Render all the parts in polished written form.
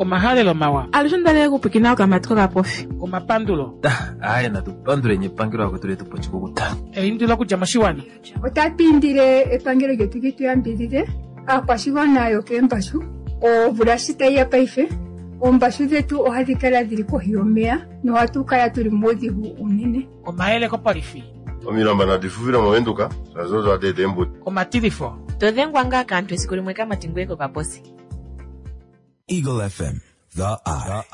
Omahalelo mawa. Alushe onda okupwikina okamati kokapofi. Omapandulo. Aaye natu panduleni epangelo lakwetu letu po oshikukuta. Eindilo okudja moshiwana. Otatu indile epangelo lyetu li tu yambidhidhe aakwashigwana yokeembashu. Omvula shi tayi ya paife, oombashu dhetu ohadhi kala dhili kohi yomeya nohatu kala tuli muudhigu uunene. Omayele kopolifi. Omilamba nadi fufile moVenduka shaashi odo hadi eta eembuto. Omatilifo. To dhengwa ngaa kaantu esiku limwe kamati ngoye kokaposi. Eagle FM, the eye.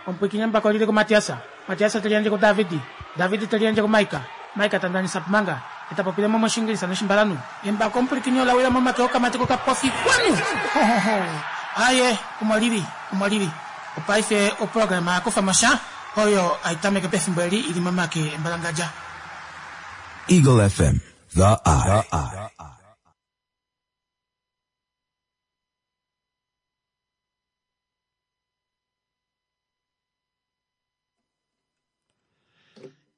Omupwiikini embako oli li kuMatias, Matias te liyandje kuDavid, David te liyandje kuMaika, Maika ta ndanisa Pumanga, e ta popile mo mOshiingilisa nOshimbalanhu. Embako omupwilikini ola wila momake okamati kokapofi. Kwanu! Ho-ho-ho! Aye, omo li li, omo li li. Opaife oprograma ya kufa mo sha, oyo hai tameke pefimbo eli i li momake embalangadja. Eagle FM, the eye.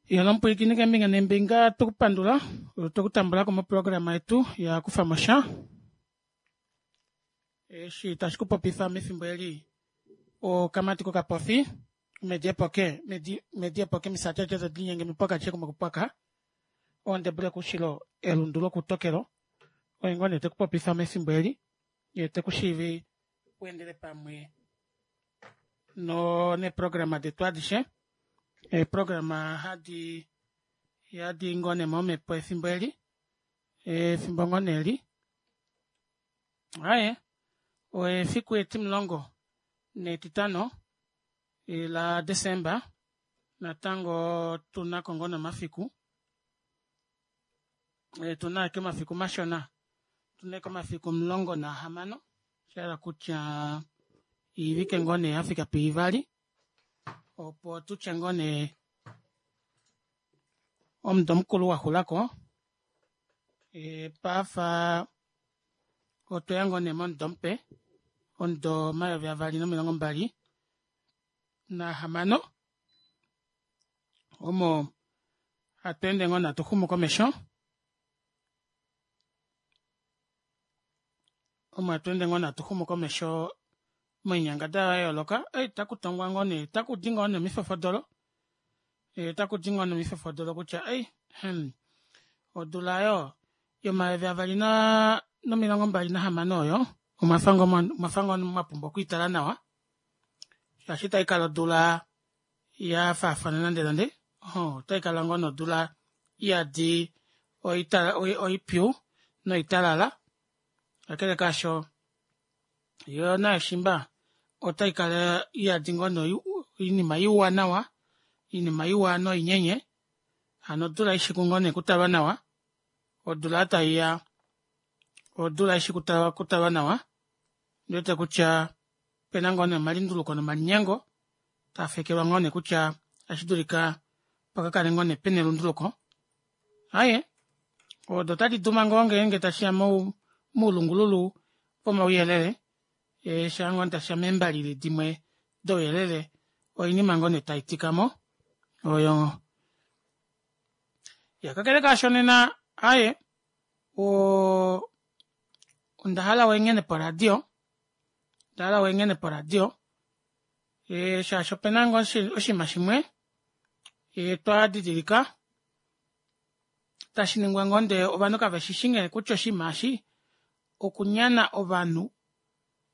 Yona omupwilikini keembinga neembinga tu ku pandula otwe ku tambula ko moprograma yetu ya kufa mo sha eshi tashi ku popifa mefimbo eli okamati kokapofi medi epoke medi medi epoke misati adishe tadi linyenge mipoka adishe kumwe kupwaka ondebule koushilo elundu lokutokelo oye ngoo nee te ku popifa mefimbo eli ye te ku shiivi u endele pamwe no neeprograma detu adishe eeprograma hadi yadi ngoo nee momhepo efimbo eli efimbo ngoo nee eli aye efiku etimulongo netitano la Desemba natango tunako ngoo nee omafiku tuna ashike omafiku mashona tuna ashike omafiku 16 Osha hala kutya oivike ngoo nee ya fika puivali opo tu tye ngoo nee omudo mukulu wa xula ko e, paafa otweya ngoo nee momudo mupe omudo 2026 omo hatu ende ngoo natu xumu komesho Omo hatu ende ngoo natu xumu komesho moinyangadalwa ya yooloka. Ei taku tongwa ngoo nee, taku di ngoo nee omifofodolo. E, taku di ngoo nee omifofodolo kutya ei, hmm, odula oyo yomayovi avali na nomilongo mbali nahamano oyo omwa fa ngoo mwa fa ngoo mwa pumbwa okwiitala nawa shaashi itai kala odula ya faafana nande nande. Otai kala ngoo nodula iyadi oipyu noitalala. Kakele kaasho, yo nayo shimba otai kala iyadi ngoo noinima iwa nawa, oinima iwa noinyenye. Hano odula ishi ku ngoo nee kutalwa nawa, odula tai ya odula ishi kutalwa nawa. Ondi wete kutya opena ngoo nee omalunduluko nomalinyengo taa fekelwa ngoo nee kutya otashi dulika pa ka kale ngoo nee pena elunduluko. Aaye, odo otadi duma ngoo ngeenge tashi ya moulungululu vomauyelele, shaa ngoo tashi ya meembalili dimwe douyelele, oinima ngoo nee tai tika mo oyo. Ya kakele kaasho nena, aaye, o onda hala wenghene poradio, onda hala wenghene poradio e, shaashi opena ngoo oshinima shimwe e, twa didilika tashi ningwa ngoo ndee ovanhu kave shi shi nghee kutya oshinima eshi okunyana ovanhu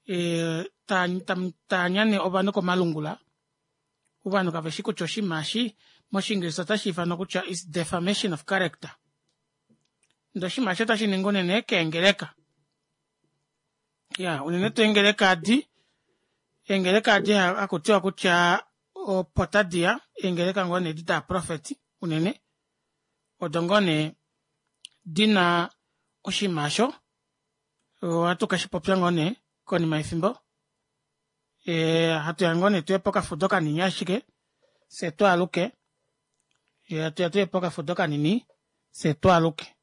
e, ta nyane ovanhu komalungula ovanhu kave shi kutya oshinima eshi moshiingilisa otashi ifanwa kutya is defamation of character ndee oshinima eshi otashi ningwa unene keengeleka ya unene tuu eengeleka adi eengeleka adi haku tiwa kutya opo tadi ya eengeleka ngoo nee edi daaprofeti unene odo ngoo nee dina oshinima osho ohatu ke shi popya ngoo nee konima yefimbo e, hatu ya ngoo nee tuye pokafudo kanini ashike fye twaaluke hatu ya tuye pokafudo kanini fye twaaluke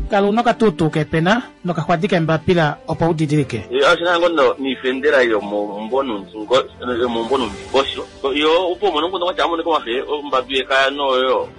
Kala una okatuutuu keepena nokaxwadi keembapila opo u didilike. Oshina ngo no niifendela yomombo yomombo nomundingosho yo opo umone omukundu kwatya amonike omafe ombambi yekaya noyo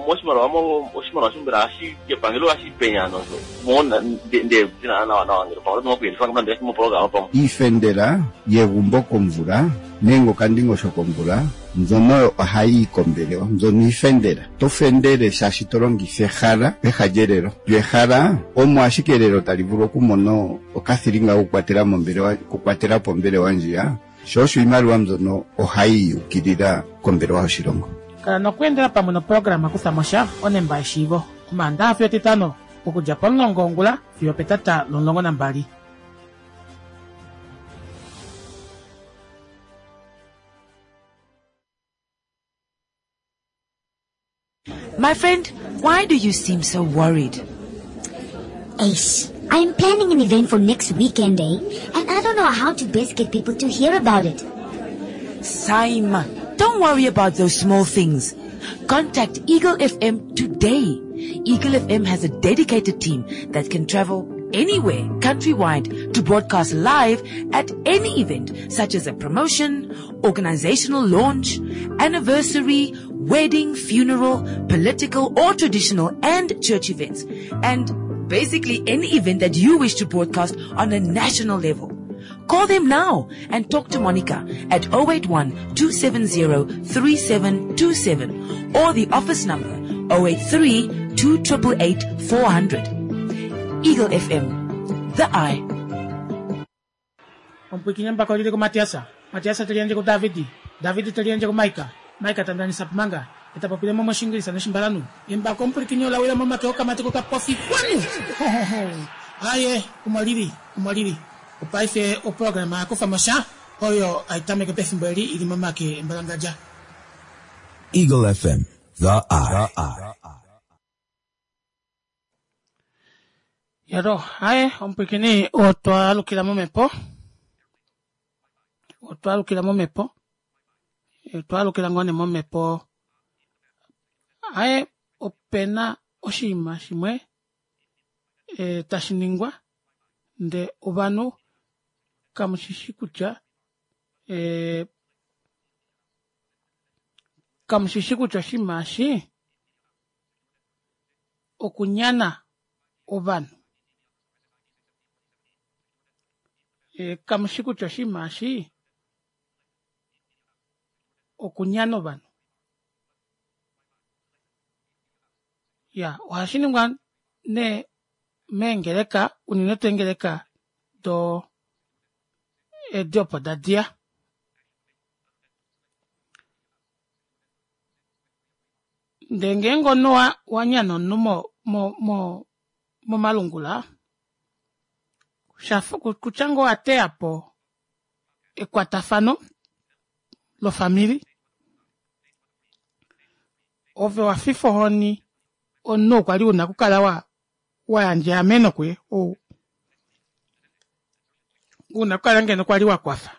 moshimaliwa mo oshimaliwa shombela hashi kepangelo hashi penya nozo mona nde dina nawa nawa ngele pamwe oto kuyelifa nande moprograma pamwe. Iifendela yegumbo komvula nenge okandingosho komvula mbyono oyo ohayi yi kombelewa. Mbyono iifendela. To fendele shaashi to longitha ehala peha lyelelo. Lyo ehala omo ashike elelo tali vulu okumona okathilinga kokukwatela mombelewa, okukwatela po ombelewa ndjiya. Sho osho iimaliwa mbyono ohayi yi ukilila kombelewa yoshilongo. Kala nokweendela pamwe noprograma Kutha mo sha, Onemba yeshiivo, Omaandaha fiyo Etitano, okudja pomulongo wongula fiyo opetata lomulongo nambali. My friend, why do you seem so worried? Ace, I'm planning an event for next weekend, eh? And I don't know how to best get people to hear about it. Saima, don't worry about those small things. Contact Eagle FM today. Eagle FM has a dedicated team that can travel anywhere countrywide to broadcast live at any event such as a promotion, organizational launch, anniversary, wedding, funeral, political or traditional and church events. And basically any event that you wish to broadcast on a national level. Call them now and talk to Monica at 081 270 3727 or the office number 083 2888 400. Eagle FM, the eye. Omupwiikini embako olili kuMatiasa, Matiasa te liyandje kuDavid, David te liyandje kuMaika, Maika ta ndanisa Pumanga, e ta popile mo mOshiingilisa nOshimbalanhu. Embako omupwilikini ola wila momake okamati kokapofi kwanu! Aye, omo lili, omo lili. Opaife oprograma ya kufa mo sha oyo hai tameke pefimbo eli i li momake embalangadja. Eagle FM, the eye. Yalo, haye omupwikini otwa alukila momhepo. Otwa alukila momhepo. Otwa alukila ngoo nee momhepo. Haye opena oshinima shimwe e, tashi ningwa nde ovanhu kamu shi shi kutya e, kamu shi shi kutya oshinima eshi okunyana ovanhu. E, kamu shi kutya oshinima eshi okunyana ovanhu. Ya, ohashi ningwa nee meengeleka, unene tuu eengeleka do edi opo da diya. Ndee ngeenge omunhu wa, wa nyana omunhu mo, mo, mo, momalungula, shafa kutya ngoo wa teya po ekwatafano lofamili, ove wa fifa ohoni omunhu oo kwali una okukala wa, wa yandja eameno kuye, ou una okukala ngeno kwali wa kwafa.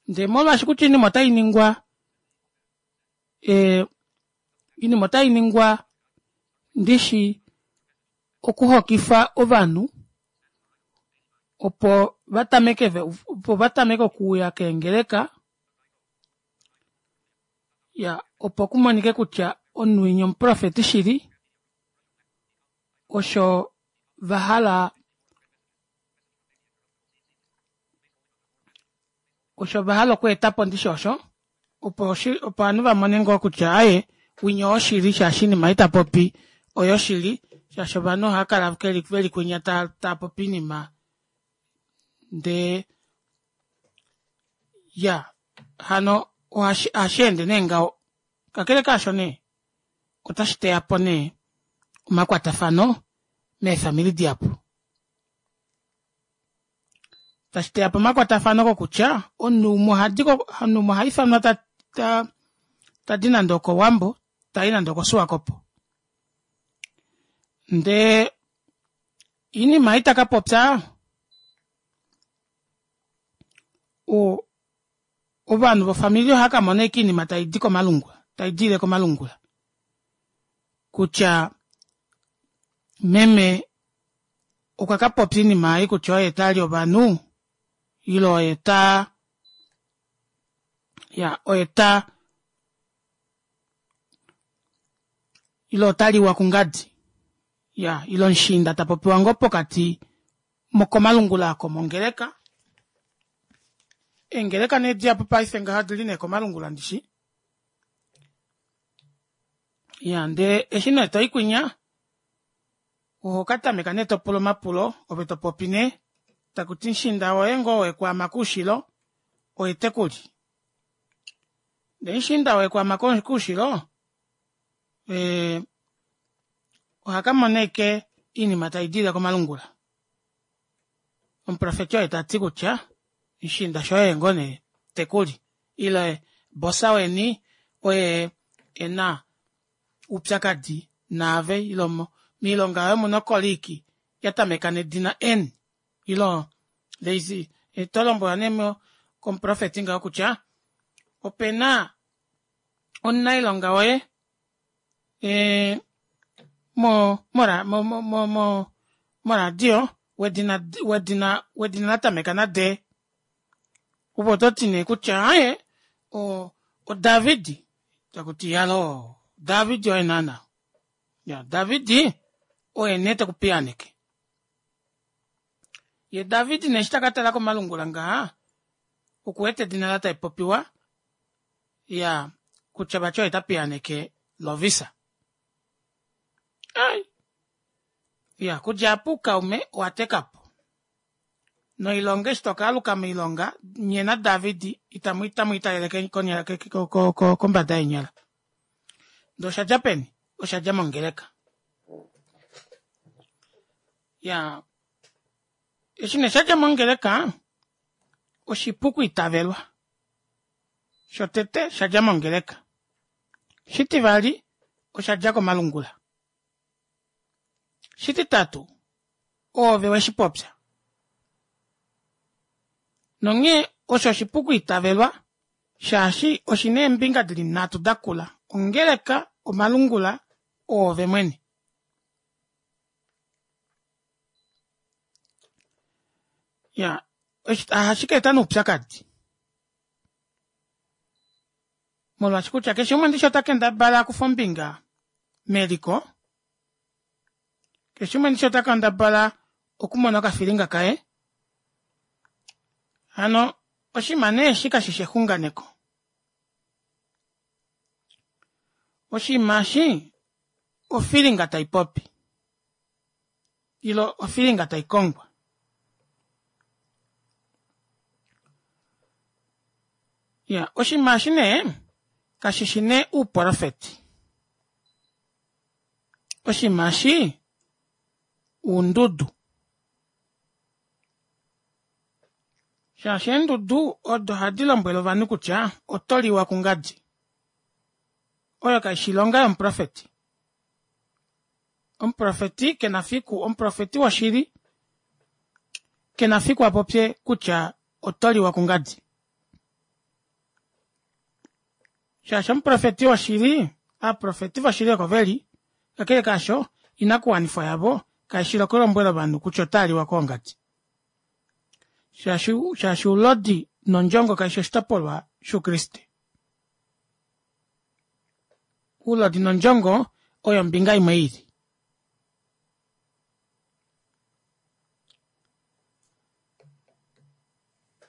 Ndee molwaashi kutya oinima otai ningwa e, oinima otai ningwa ndishi okuhokifa ovanhu opo va tameke opo va tameke okuuya keengeleka ya opo kumonike kutya omunhu winya omuprofeti shili osho va hala osho va hala okweeta po ndishi osho opo opo ovanhu va mone ngoo kutya aye winya oshili shaashi inima ita popi oyoshili shaashi ovanhu ohava kala veli kwinya ta ta popi inima ndee ya hano ohashi ende nee ngaho kakele kaasho nee otashi teya po nee omakwatafano meefamili dihapu tashi teya po omakwatafano kokutya omunhu umwe ohadi omunhu umwe oha ifanwa ta ta ta di nande okOwambo tai nande okoSwakopo ndee iinima ita ka popya o ovanhu vofamili ohava ka mona ashike oinima tai di komalungula tai diile komalungula kutya. Meme okwa ka popya oinima ei kutya oye tali ovanhu ile oye ta ya oye ta ile ota liwa kungadi ya ile omushiinda ta popiwa ngoo pokati komalungula oko mongeleka eengeleka nee dihapu paife ngaha odili nee komalungula ndishi ya ndee eshi nee toi kwinya oho ka tameka nee topula omapulo ove topopi nee takuti mushiinda woye ngoo wekwaama koushilo oye tekuli ndee mushiinda wekwaama koushilo ohakamona ashike oinima taidilile komalungula omuprofeti oye tati kutya mushiinda shoye oye ngoo nee tekuli ile bosa weni oye ena oupyakadi naave ile moilonga yoye omuna okoliki yatameka nedina N ile there is tolombwelwa nee komuprofeti ngaho kutya opena omunailonga woye e, mo mo mo mo mo moradio wedina wedina wedina latameka na D opo ototi nee kutya aye o oDavid takuti yalo David oye naana ya David oye nee tekupiyaaneke ye David nee eshi taka tala komalungula ngaha okuwete edina laye tali popiwa ya kutya vati oye ta piyaaneke Lovisa. Ai. Ya kudja apa oukaume owa teka po. Noilonga eshi to ka aluka moilonga nye naDavid itamu itamu italele konyala kombada yeenyala. Ndee osha dja peni? Osha dja mongeleka. Ya eshi nee sha dja mongeleka oshipu okwiitavelwa. Shotete sha dja mongeleka. Shitivali osha dja komalungula. Shititatu oove we shi popya. Nonghee osho oshipu okwiitavelwa shaashi oshi na eembinga di li nhatu da kula, ongeleka, omalungula, oove mwene. Ya, ohashi ka eta nee oupyakadi. Molwaashi kutya keshe umwe ndishi ota kendabala a kufe ombinga meliko, keshe umwe ndishi ota kendabala okumona okafilinga kaye. Hano oshinima nee eshi kashi shi exunganeko. Oshinima eshi ofilinga tai popi. Ile ofilinga tai kongwa. Ya, oshinima eshi nee kashi shi nee uuprofeti. Oshinima eshi uundudu. Shaashi eendudu odo ohadi lombwele ovanhu kutya oto liwa kungadi. Oyo kai shi ilonga yomuprofeti. Omuprofeti ke na fiku, omuprofeti woshili ke na fiku a popye kutya oto liwa kungadi. Shaashi omuprofeti woshili, aaprofeti voshili oko ve li, kakele kaasho, inakuwanifwa yavo kai shi lokulombwela ovanhu kutya otaa liwa koongadi. Shaashi, shaashi oulodi nondjongo kai shi oshitopolwa shOukriste. Oulodi nondjongo oyo ombinga imwe i li.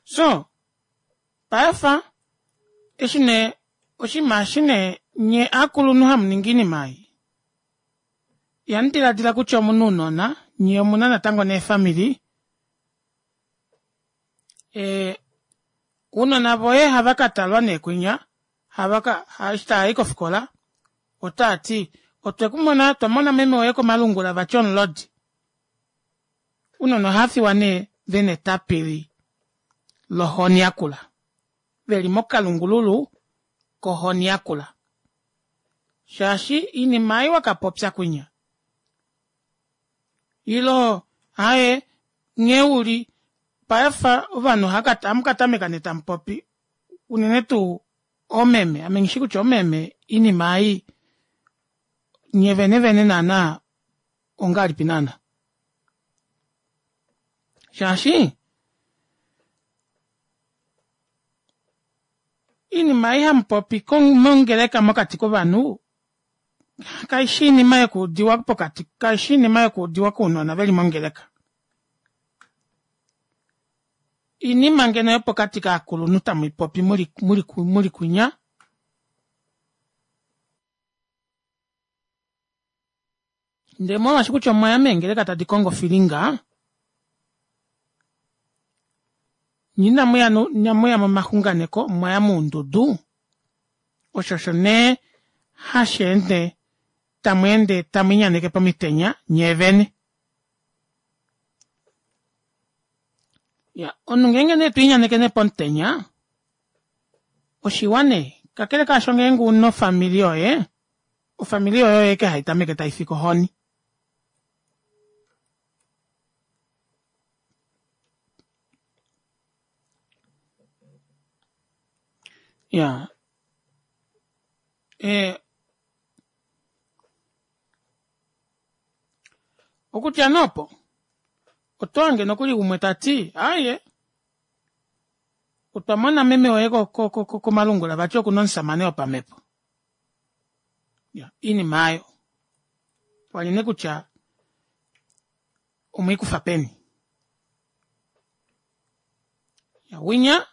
So, paife eshi nee oshinima eshi nee nye aakulunhu hamu ningi iinima ei, ihamu diladila kutya omuna uunona, nye omuna natango neefamili, e, uunona voye hava ka talwa nee kwinya, hava ka, eshi tava i kofikola, otaa ti, otwe ku mona, twa mona meme woye komalungula vati omulodi. Ounona ohava fiwa nee ve na etapili lohoni yakula, ve li mokalungululu kohoni yakula. Shaashi iinima ei wa ka popya kwinya, ilo aye nghee u li paife ovanhu ohamu ka tameka nee tamu popi unene tuu oomeme, ame nghishi kutya oomeme iinima ei nye vene vene naana. ongahelipi naana shaashi iinima ei hamupopi mongeleka mokati kovanhu kaishi iinima yokuudiwa pokati kaishi iinima yokuudiwa kounona veli mongeleka iinima ngeno yopokati kaakulunhu tamuipopi muli, muli, muli kwinya ndee molwaashi kutya omwaya meengeleka tadi kongo ofilinga nye inamuya inamuya momaxunganeko mwaya moundudu osho osho nee hashi ende tamu ende tamu inyaneke pomitenya nyee vene ya omunhu ngeenge nee twiinyaneke nee pomutenya oshiwa nee kakele kaasho ngeenge una ofamili yoye ofamili yoye oyo eke hai tameke tai fike ohoni ya e, okutya nee opo oto hange nokuli umwe ta ti aaye otwa mona meme woye komalungula vati okuna omusamane wopamhepo ya iinima aayo wali ne kutya omwiikufa peni ya winya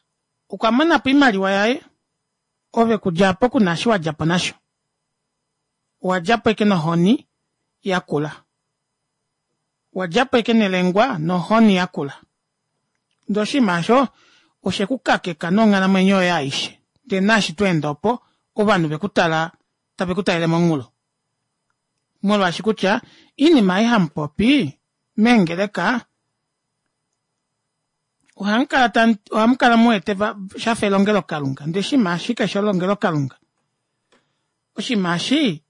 okwa mona po oimaliwa yaye ove kudja apo kuna eshi wa dja po nasho owa dja po eke nohoni yakula wa dja po eke nelengwa nohoni yakula ndee oshinima osho oshe ku kakeka nonghalamwenyo yoye aishe ndee naashi to ende opo ovanhu ve ku tala tave ku talele monghulo molwaashi kutya iinima ei hamupopi meengeleka ohamu kala tamu ohamu kala mu wete shafa elongelokalunga ndee oshinima eshi kashi elongelokalunga oshinima eshi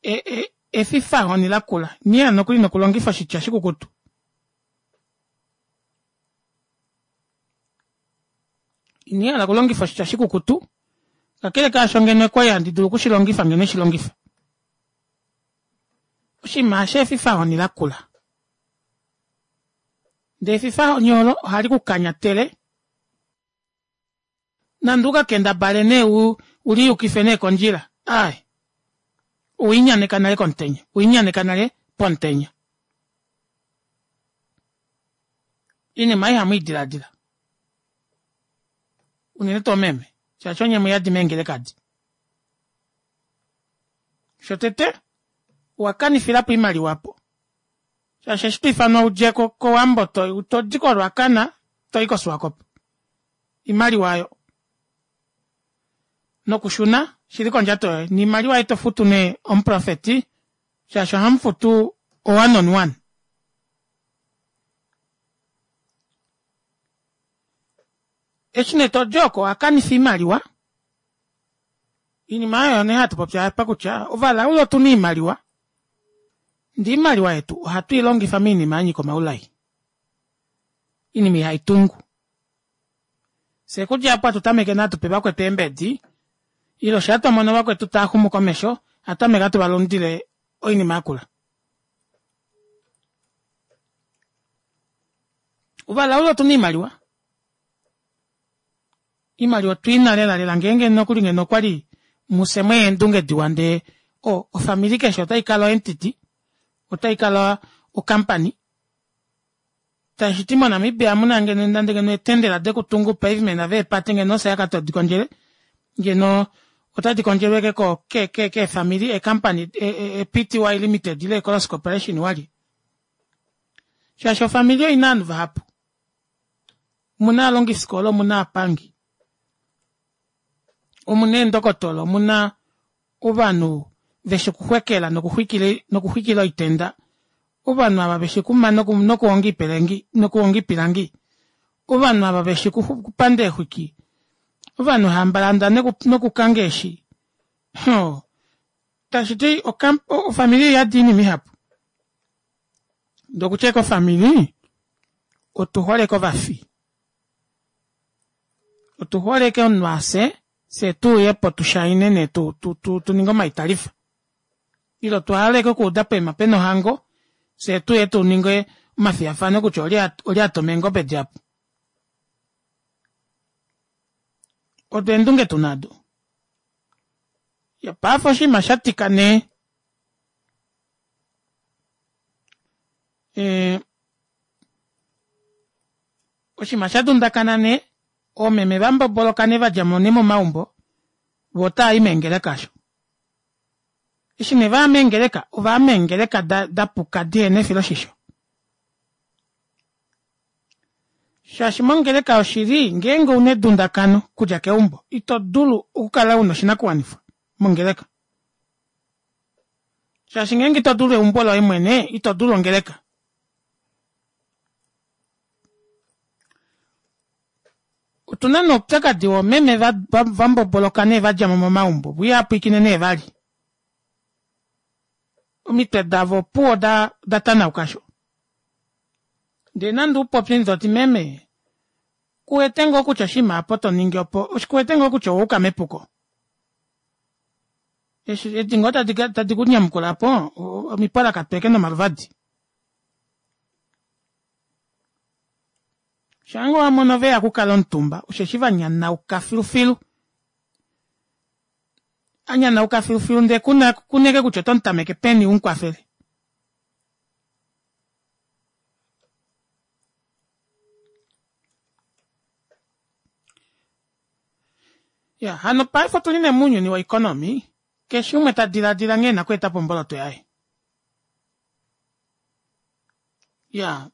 e, e, efifahoni lakula niya nokuli nokulongifa oshitya shikukutu ini hala okulongifa oshitya shikukutu kakele kaasho ngeno okwali handi dulu okushilongifa ngeno shilongifa oshinima eshi efifahoni lakula ndee efifahoni olo ohali ku kanyatele nande uka kendabale nee u uliyukife nee kondjila ai owiinyaneka nale komutenya owiinyaneka nale pomutenya iinima ei hamu idiladila unene tuu meme shaashi onye muyadi meengelekadi shotete owa kanifilapo oimaliwa po shaashi eshi to ifanwa udje kowambo todi koRuacana toyi koSwakopo imaliwa oyo nokushuna shili kondjato yoye niimaliwa ei to futu nee omuprofeti shaashi ohamu futu o one on one eshi nee todi oko owa kanifa iimaliwa Iinima oyo nee hatu popi apa kutya ovalaule otu na iimaliwa ndee iimaliwa yetu ohatu i longifa moinima ya nyika omaulai, iinima ihai tungu. Fye okudja apo hatu tameke nee hatu pe vakwetu eembedi ile osha twa mono vakwetu taa xumu komesho hatu tameke hatu va lundile oinima yakula. Ovalaule otu na iimaliwa Iimaliwa otwi na lela lela ngeenge nokuli ngeno okwali muse mwe eendunge diwa ndee o ofamili keshe otai kala oentity otai kala ocompany tashi ti moNamibia muna ngeno nande ngeno eetendela dekutunga upavement veepate ngeno ofye aka todi kondjele ngeno otadi kondjelwa eke ko ke ke keefamili eecompany e-Pty Limited ile Ecolos Corporation wali shaashi ofamili oina ovanhu vahapu Omuna aalongisikola, omuna aapangi, omuna eendokotola, omuna ovanhu veshi okuxwekela nokuxwikila oitenda, ovanhu ava veshi okuma nokuhonga iipelengi nokuhonga iipilangi, ovanhu ava veshi okupanda eexwiki, ovanhu hamba landa nokukanga eeshi. Hoo, tashi ti ofamili oiyadi oinima ihapu. Ndee okutya ashike ofamili otu hole kovafi. Otu hole ashike omunhu afye, fye tu uye po tu shaine nee tu, tu, tu, tu ninge omaitalifa. Ile otwa hala ashike okuuda poima pena ohango, fyee tuye tu ninge omafiyafano kutya olye olye a toma eengobe dihapu. Odo eendunge tu na ado. Ya paife oshinima sha tika nee. E, oshinima sha dundakana nee, oomeme va mboboloka nee va dja mo nee momaumbo, vo otava i meengeleka osho. Eshi nee va ya meengeleka, ova ya meengeleka da, da puka dihena efiloshisho. Shaashi mongeleka yoshili, ngeenge una edundakano kudja keumbo, ito dulu okukala una oshinakuwanifwa mongeleka. Shaashi ngeenge ito dulu eumbo loye mwene, ito dulu ongeleka. Otu na nee oupyakadi woomeme va, va, va mboboloka nee va dja mo momaumbo, vo ihava pwilikine nee vali. Omitwe davo opuwo oda, oda tanauka sho. Ndee nande u popye ndee toti meme, ku wete ngoo kutya oshinima apa to ningi opo, ku wete ngoo kutya owa yuka mepuko? Eshi edi ngoo tadi, tadi ku nyamukula apo, omipwalakatweke nomaluvadi. Shaange wa mono ve ya okukala omutumba, osheshi va nyanauka filufilu. A nyanauka filufilu ndee ku na ku neke kutya oto mu tameke peni u mu kwafele. Ya, hano paife otu li nee mounyuni woeconomy, keshe umwe ta diladila nghee e na okweeta po omboloto yaye. Ya,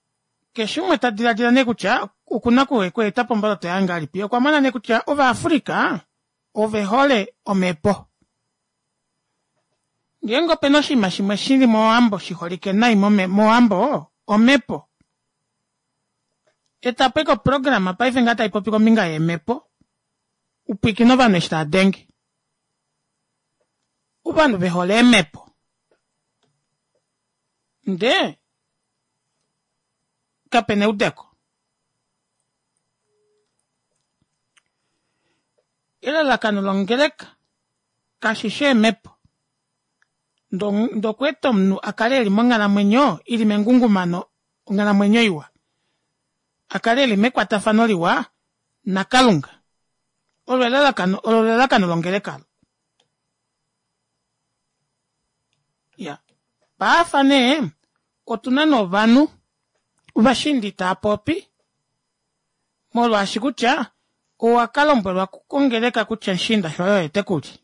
keshe umwe ta diladila nee kutya oku na okweeta po omboloto yaye ngahelipi. Okwa mona nee kutya Ovaafrika ove hole omhepo. Ngeenge ope na oshinima shimwe shi li mOwambo shi holike nai mOwambo, omhepo. Eta po eke oprograma paife ngaa tai popi kombinga yeemhepo, u pwiikine ovanhu eshi tava denge. Ovanhu ve hole eemhepo. Ndee kape na eudeko. Elalakano longeleka kashi shi eemhepo, ndee okweeta omunhu a kale e li monghalamwenyo i li mengungumano, onghalamwenyo iwa, a kale e li mekwatafano liwa naKalunga. Olo elalakano, olo elalakano longeleka olo. Ya. Paafa nee, otu na nee ovanhu ovashiinda itava popi, molwaashi kutya owa ka lombwelwa kongeleka kutya mushiinda shoye oye te ku li.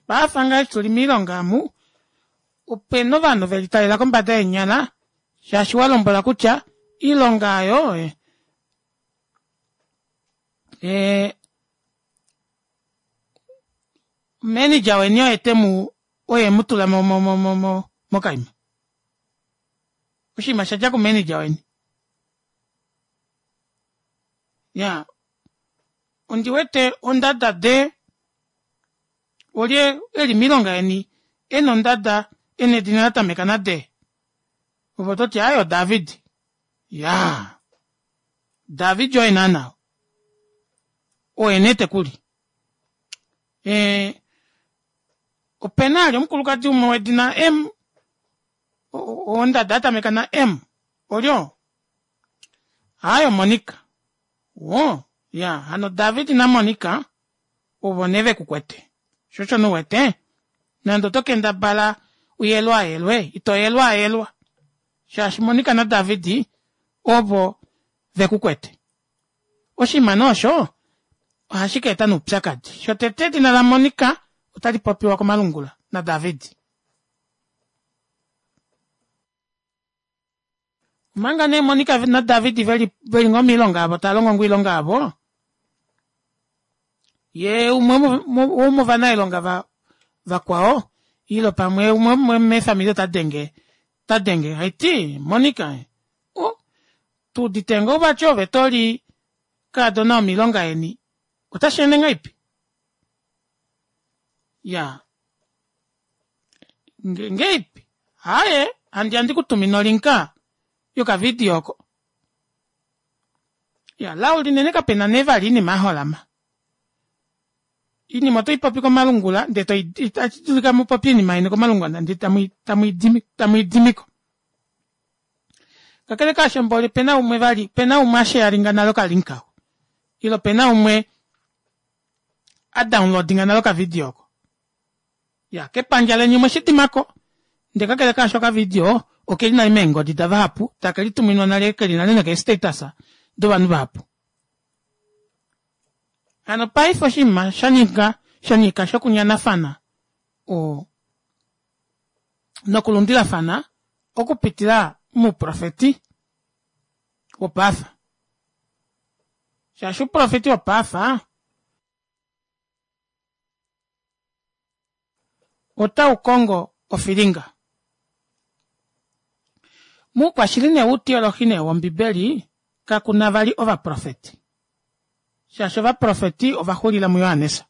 Paafa ngaa eshi tu li miilonga amu, ope na ovanhu ve litalela kombada yeenyala shaashi wa lombwelwa kutya iilonga oyo e, manager weni oye te mu oye mu tula mo mo mo mo mo mokaima oshinima sha dja kumanager weni ya ondi wete ondada de olye eli miilonga yeni e na ondada e na edina la tameka na de ove oto ti ayo David ya David oye naana oye nee tekuli e, ope na ali omukulukadi umwe wedina M ondada ya tameka na M olyo hayo Monica wo ya hano David na Monica ovo nee ve ku kwete sho osho nu wete nande oto kendabala u yelwaayelwe ito yelwaayelwa shaashi Monica na David ovo ve ku kwete Oshinima nee osho ohashi ka eta noupyakadi. Shotete edina laMonika otali popiwa komalungula naDavid. Omanga nee Monika naDavid ve li ngoo miilonga yavo tava longo ngoo oilonga yavo, ye umwe womovanailonga vakwao ile pamwe umwe meefamili ota denge ta denge haiti Monika o Tu udite ngoo vati ove to li kaadona womiilonga yeni otashi ende ngaipi? Ya ngeipi? Haye, handi andi ku tumine olinka yokavidio oko. Ya, lao linene kape na nee vali iinima ya holama. Oinima oto i popi komalungula ndee to itashi dulika mu popye oinima yeni komalungula ndee tamu i dimiko. Kakele kaasho mboli pena umwe vali pena umwe a sharinga nale okalink ako ile pena umwe a downloadinga nale okavidio oko. Ya kepandja leni omwe shi dimako ndee kakele kaasho okavidio okeli nale meengodi davahapu take lituminwa nale keli nale nokee status dovanhu vahapu. Hano paife oshinima sha ninga sha nyika shokunyanafana o nokulundilafana okupitila mouprofeti wopaafa. Shaashi ouprofeti wopaafa otau kongo ofilinga. Moukwashili nee woutiolohi nee wOmbibeli kaku na vali ovaprofeti. Shaashi ovaprofeti ova xulila muJohannes.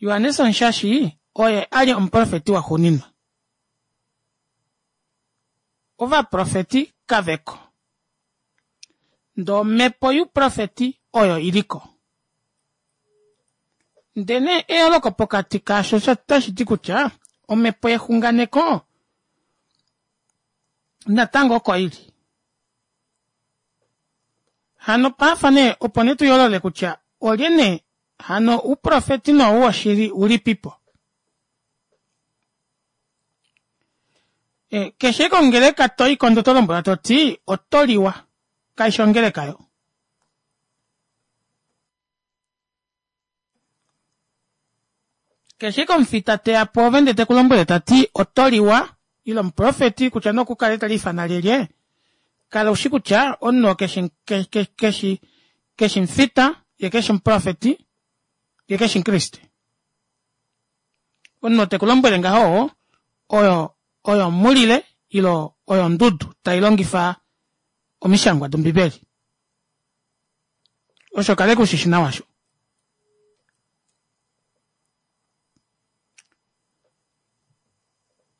Johannes Omushashi oye a li omuprofeti waxuuninwa. Ovaprofeti kave ko. Ndee omhepo youprofeti oyo i li ko. Ndele nee eyooloko pokati kaasho otashi ti kutya omhepo yexunganeko natango oko i li. Hano paafa nee opo nee tu yoolole kutya olye nee hano ouprofeti nou woshili ulipipo. E, keshe kongeleka to i ko ndee oto lombwelwa to ti oto liwa, kai shi ongeleka yo. Keshe komufita te ya pwoove ndee te ku lombwele ta ti oto liwa, ile omuprofeti kutya nee okukale te liifana lyelye, kala u shi kutya omunhu oo keshi, keshi, keshi mufita, ye keshi omuprofeti, ye keshi omukriste. Omunhu oo te ku lombwele ngaho oyo, oyo omhulile ile oyo ondudu tai longifa omishangwa dOmbibeli. Osho kale ku shi shi nawa sho.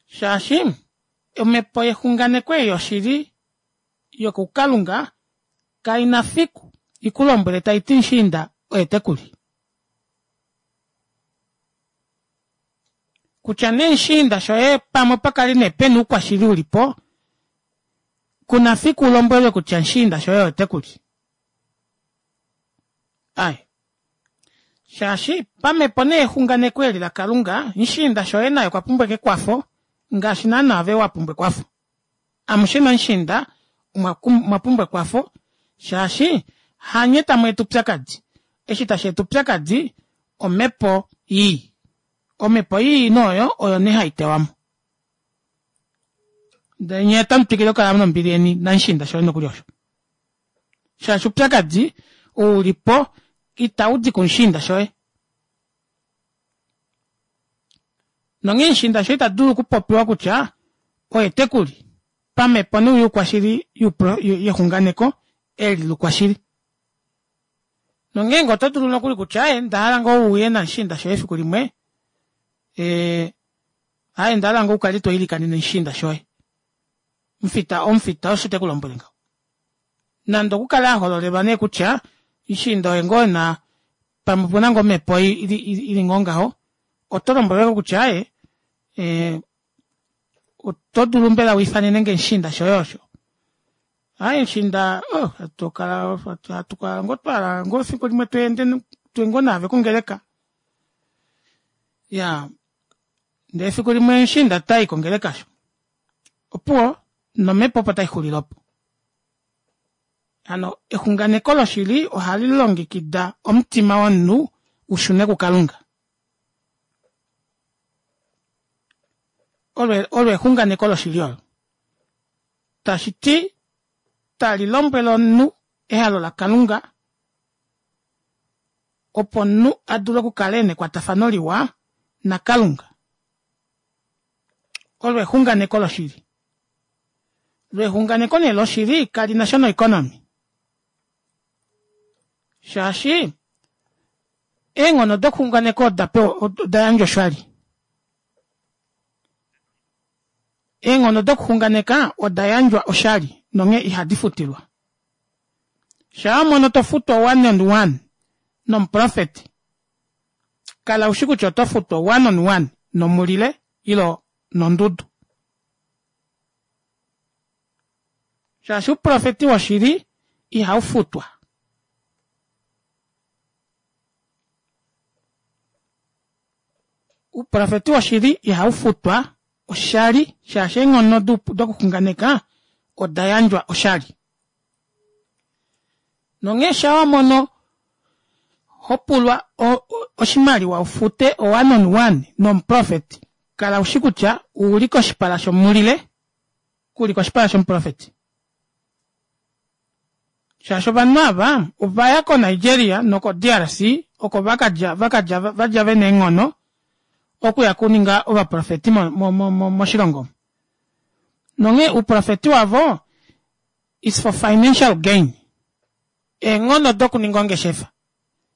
Shaashi omhepo yexunganeko ei yoshili yokuKalunga kai na fiku i ku lombwele tai ti mushiinda oye te ku li. Kutya nee mushiinda shoye pamwe opa kale nee pe na oukwashili u li po, ku na fiku u lombwelwe kutya mushiinda shoye oye te ku li. Ai. Shaashi pamhepo nee exunganeko eli laKalunga, mushiinda shoye naye okwa pumbwa ekwafo ngaashi naana ove wa pumbwa ekwafo. Amushe namushiinda omwa pumbwa ekwafo shaashi hanye tamu eta oupyakadi. Eshi tashi eta oupyakadi omhepo ii. Omhepo ii nee oyo nee hai tewa mo. Ndele nye otamu twikile okukala nombili yeni namushiinda shoye nokuli osho. Shaashi oupyakadi ou li po itau di kumushiinda shoye. Nonghee mushiinda shoye ita dulu okupopiwa kutya oye te ku li pamhepo noyoukwashili yexunganeko eli loukwashili. Nongeenge oto dulu nokuli kutya aye nda hala ngoo u uye namushiinda shoye efiku limwe, ee, aye nda hala ngoo u kale to ilikanene mushiinda shoye. Omufita, omufita osho te ku lombwele ngaho. Nande okukale a hololelwa nee kutya mushiinda oye ngoo na pamwe opuna ngoo omhepo ili ngoo ngaho, oto lombwelwa kutya aye, ee, oto dulu mbela u ifanene nge mushiinda shoye osho? Aye mushiinda, oh, hatu kala, hatu kala ngoo twa hala ngoo efiku limwe tu ende, tuye ngoo naave kongeleka. Ya, ndee efiku limwe mushiinda ta i kongeleka sho. Opuwo, nomhepo opo tai xulile opo. Hano exunganeko loshili ohali longekida omutima womunhu u shune kuKalunga. Olo, olo exunganeko loshili olo. Tashi ti, tali lombwele omunhu ehalo laKalunga opo omunhu a dule okukala e na ekwatafano liwa naKalunga. Olo exunganeko loshili. Lo exunganeko nee loshili kali na sha noikonomi. Shaashi eenghono dokuxunganeka oda pewa oda yandjwa oshali. Eenghono dokuxunganeka oda yandjwa oshali nonghee ihadi futilwa. Shaa mono to futwa one and one. nomuprofeti, kala ushi kutya oto futwa one on one nomulile ilo nondudu. Shaashi ouprofeti woshili ihau futwa. Ouprofeti woshili ihau futwa oshali shaashi eenghono dokuxunganeka oda yandjwa oshali. Nonghee sha wa mono ho pulwa oshimaliwa u fute o one on one nomuprofeti, kala u shi kutya u li koshipala shomulile, ku li koshipala shomuprofeti. Shaashi ovanhu ava ova ya koNigeria nokoDRC oko va ka dja, va ka dja, va dja ve na eenghono okuya kuninga ovaprofeti mo, mo, mo, mo, moshilongo omu. Nonghee ouprofeti wavo is for financial gain. Eenghono dokuninga ongeshefa.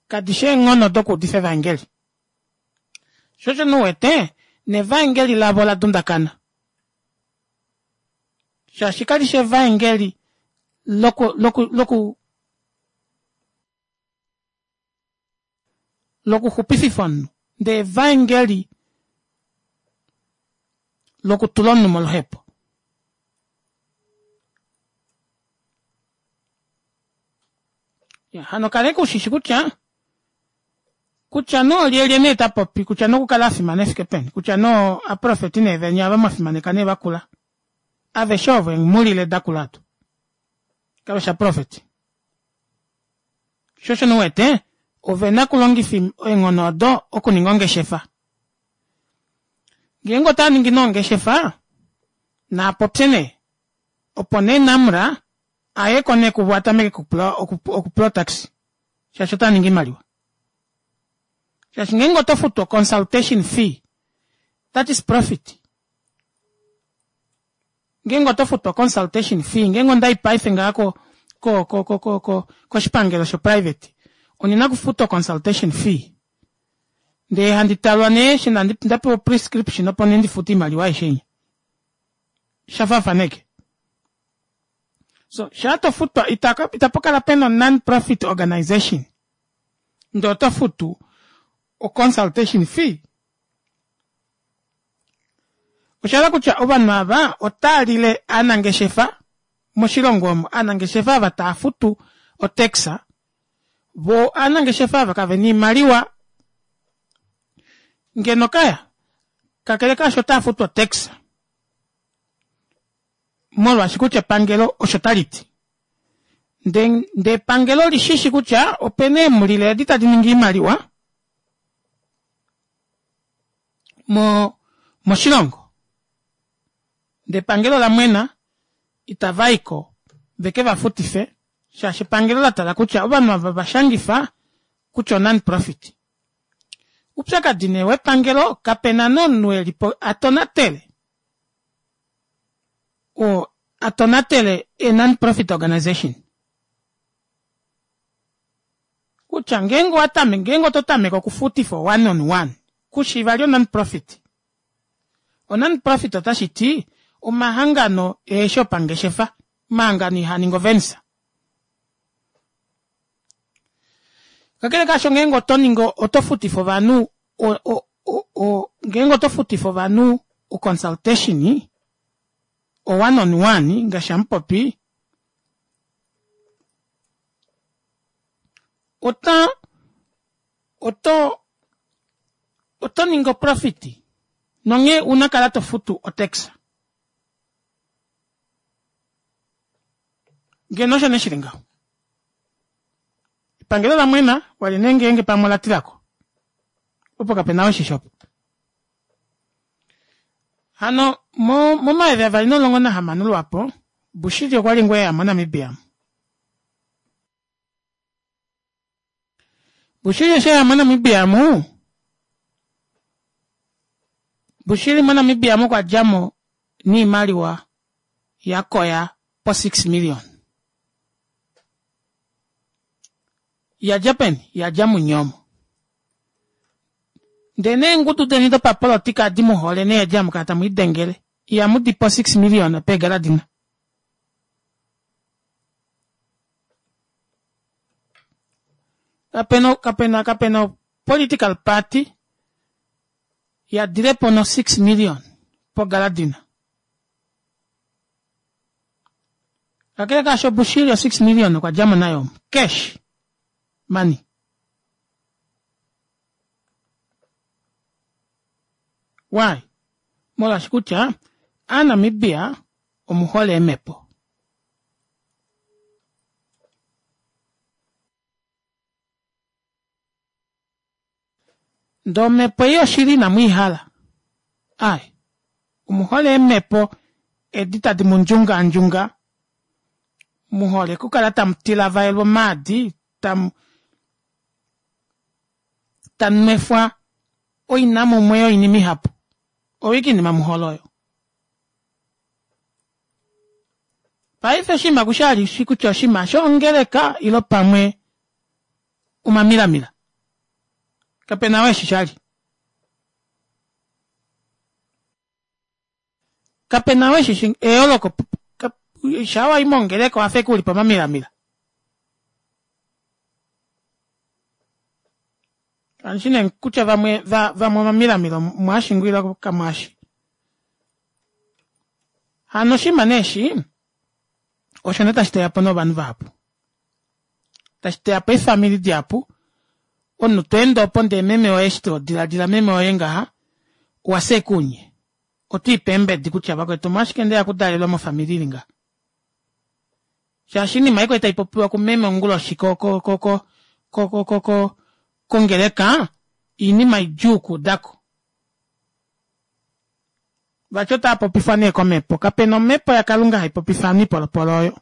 Kadi shi eenghono dokuudifa evaengeli. Sho osho nee u wete nevaengeli lavo ola dundakana. Shaashi kali shi evaengeli loku, loku, loku, lokuxupififa omunhu, ndee evaengeli lokutula omunhu moluhepo. Ya, hano kaleka ushishi kutya kutya nee olyelye nee ta popi kutya nee okukala a fimana efike peni kutya nee aprofeti nee venya ava mwa fimaneka nee vakula aveshe ovo eemhulile dakula ado kave shi aprofeti Sho osho nee u wete, ove na okulongifa eenghono odo okuninga ongeshefa. Ngeenge otava ningi nee ongeshefa, naa popye nee, opo nee Namra a ye ko nee kuvo a tameke okupula okupula otaxi, shaashi otava ningi oimaliwa. Shaashi ngeenge oto futu oconsultation fee, that is profit. Ngeenge oto futwa consultation fee, ngeenge onda i paife ngaha ko, ko, ko, ko, ko, ko, koshipangelo shoprivate, ondi na okufuta oconsultation fee. Ndee handi talwa nee eshi nda pewa prescription opo nee ndi fute oimaliwa aishe inya. Sha faafaneke. So, shaa to futwa, ita, itapu kala pena non-profit organization. Ndee oto futu oconsultation fee. Osha hala kutya ovanhu ava otaa lile aanangeshefa moshilongo omo, aanangeshefa ava taa futu otax, vo aanangeshefa ava kave na iimaliwa ngeno kaya, kakele kaasho otaa futu otax molwaashi kutya epangelo osho tali ti. Nde, nde epangelo li shi shi kutya opena eemulile edi tadi ningi iimaliwa, mo moshilongo ndee epangelo la mwena itava yiko veke va futife shaashi epangelo la tala kutya ovanhu ava va shangifa kutya o non profit. Upyakadi nee wepangelo kapena nee omunhu elipo a tonatele oo a tonatele e non profit organization. Kutya ngeenge owa tameke, ngeenge oto tameke okufutifa one on one, ku shi vali o non-profit. O non-profit otashi ti omahangano eheshi opangeshefa, omahangano ihaa ningi ovenisa. Kakele kaasho ngeenge oto ningi, oto futifa ovanhu, o, o, o, o, ngeenge oto futifa ovanhu o consultation, o one on one, ngaashi hamupopi, Ota, oto, oto ningi oprofiti, nonghee una kala to futu otax. Ngeno osho nee shili ngaho. Epangelo la mwena, wali nee ngeenge pamwe ola tilako. Opo kape na oshisho opo. Hano, mo, momayovi 2016 lwapo, Bushiri okwa li ngoo eya moNamibia. Bushiri eshi eya moNamibia mu, Bushiri moNamibia mu okwa dja mo niimaliwa ya koya po 6 million. Ya dja peni? Ya dja munyomo. Ndee neengudu deni dopapolotika adi mu hole nee edi hamu kala tamu idengele, ihamu di po 6 million peegaladina. Kapena kapena kapena political party ya dilepo no 6 million po galadina. Kakele kaasho Bushiri o 6 million okwa dja mo nayo cash money. Why? Molwaashi kutya Aanamibia omuhole eemhepo. Ndee omhepo ei yoshili inamu i hala. Ai, omuhole eemhepo edi tadi mu ndjungaandjunga, mu hole okukala tamu tilavaelwa omaadi, tamu tamu nwefwa oinamumwe yoinima ihapu. Oyo ashike oinima mu hole oyo. Paife oshinima kusha li shi kutya oshinima shongeleka ilo pamwe omamilamila. Kape na oo eshi shali. Kape na oo eshi shi eyooloko shaa wa i mongeleka owa fa ashike u li pomamilamila. Kandi shi nee kutya vamwe vamwe omamilamila omwaashi ngoo ile kamwaashi. Hano oshinima nee eshi osho nee tashi teya po novanhu vahapu. Tashi teya po eefamili dihapu. Omunhu to ende opo ndee meme woye eshi to diladila meme woye ngaha owa fya ashike unye. Oto ipe eembedi kutya vakwetu omolwashike ndeya okudalelwa mofamili ili ngaha. Shaashi oinima ei kwali tai popiwa kumeme onguloshi ko ko ko ko ko ko ko kongeleka oinima idjuu okuudako. Vati otava popifwa nee komhepo. Kape na omhepo yaKalunga hai popifa ovanhu oipolopolo oyo.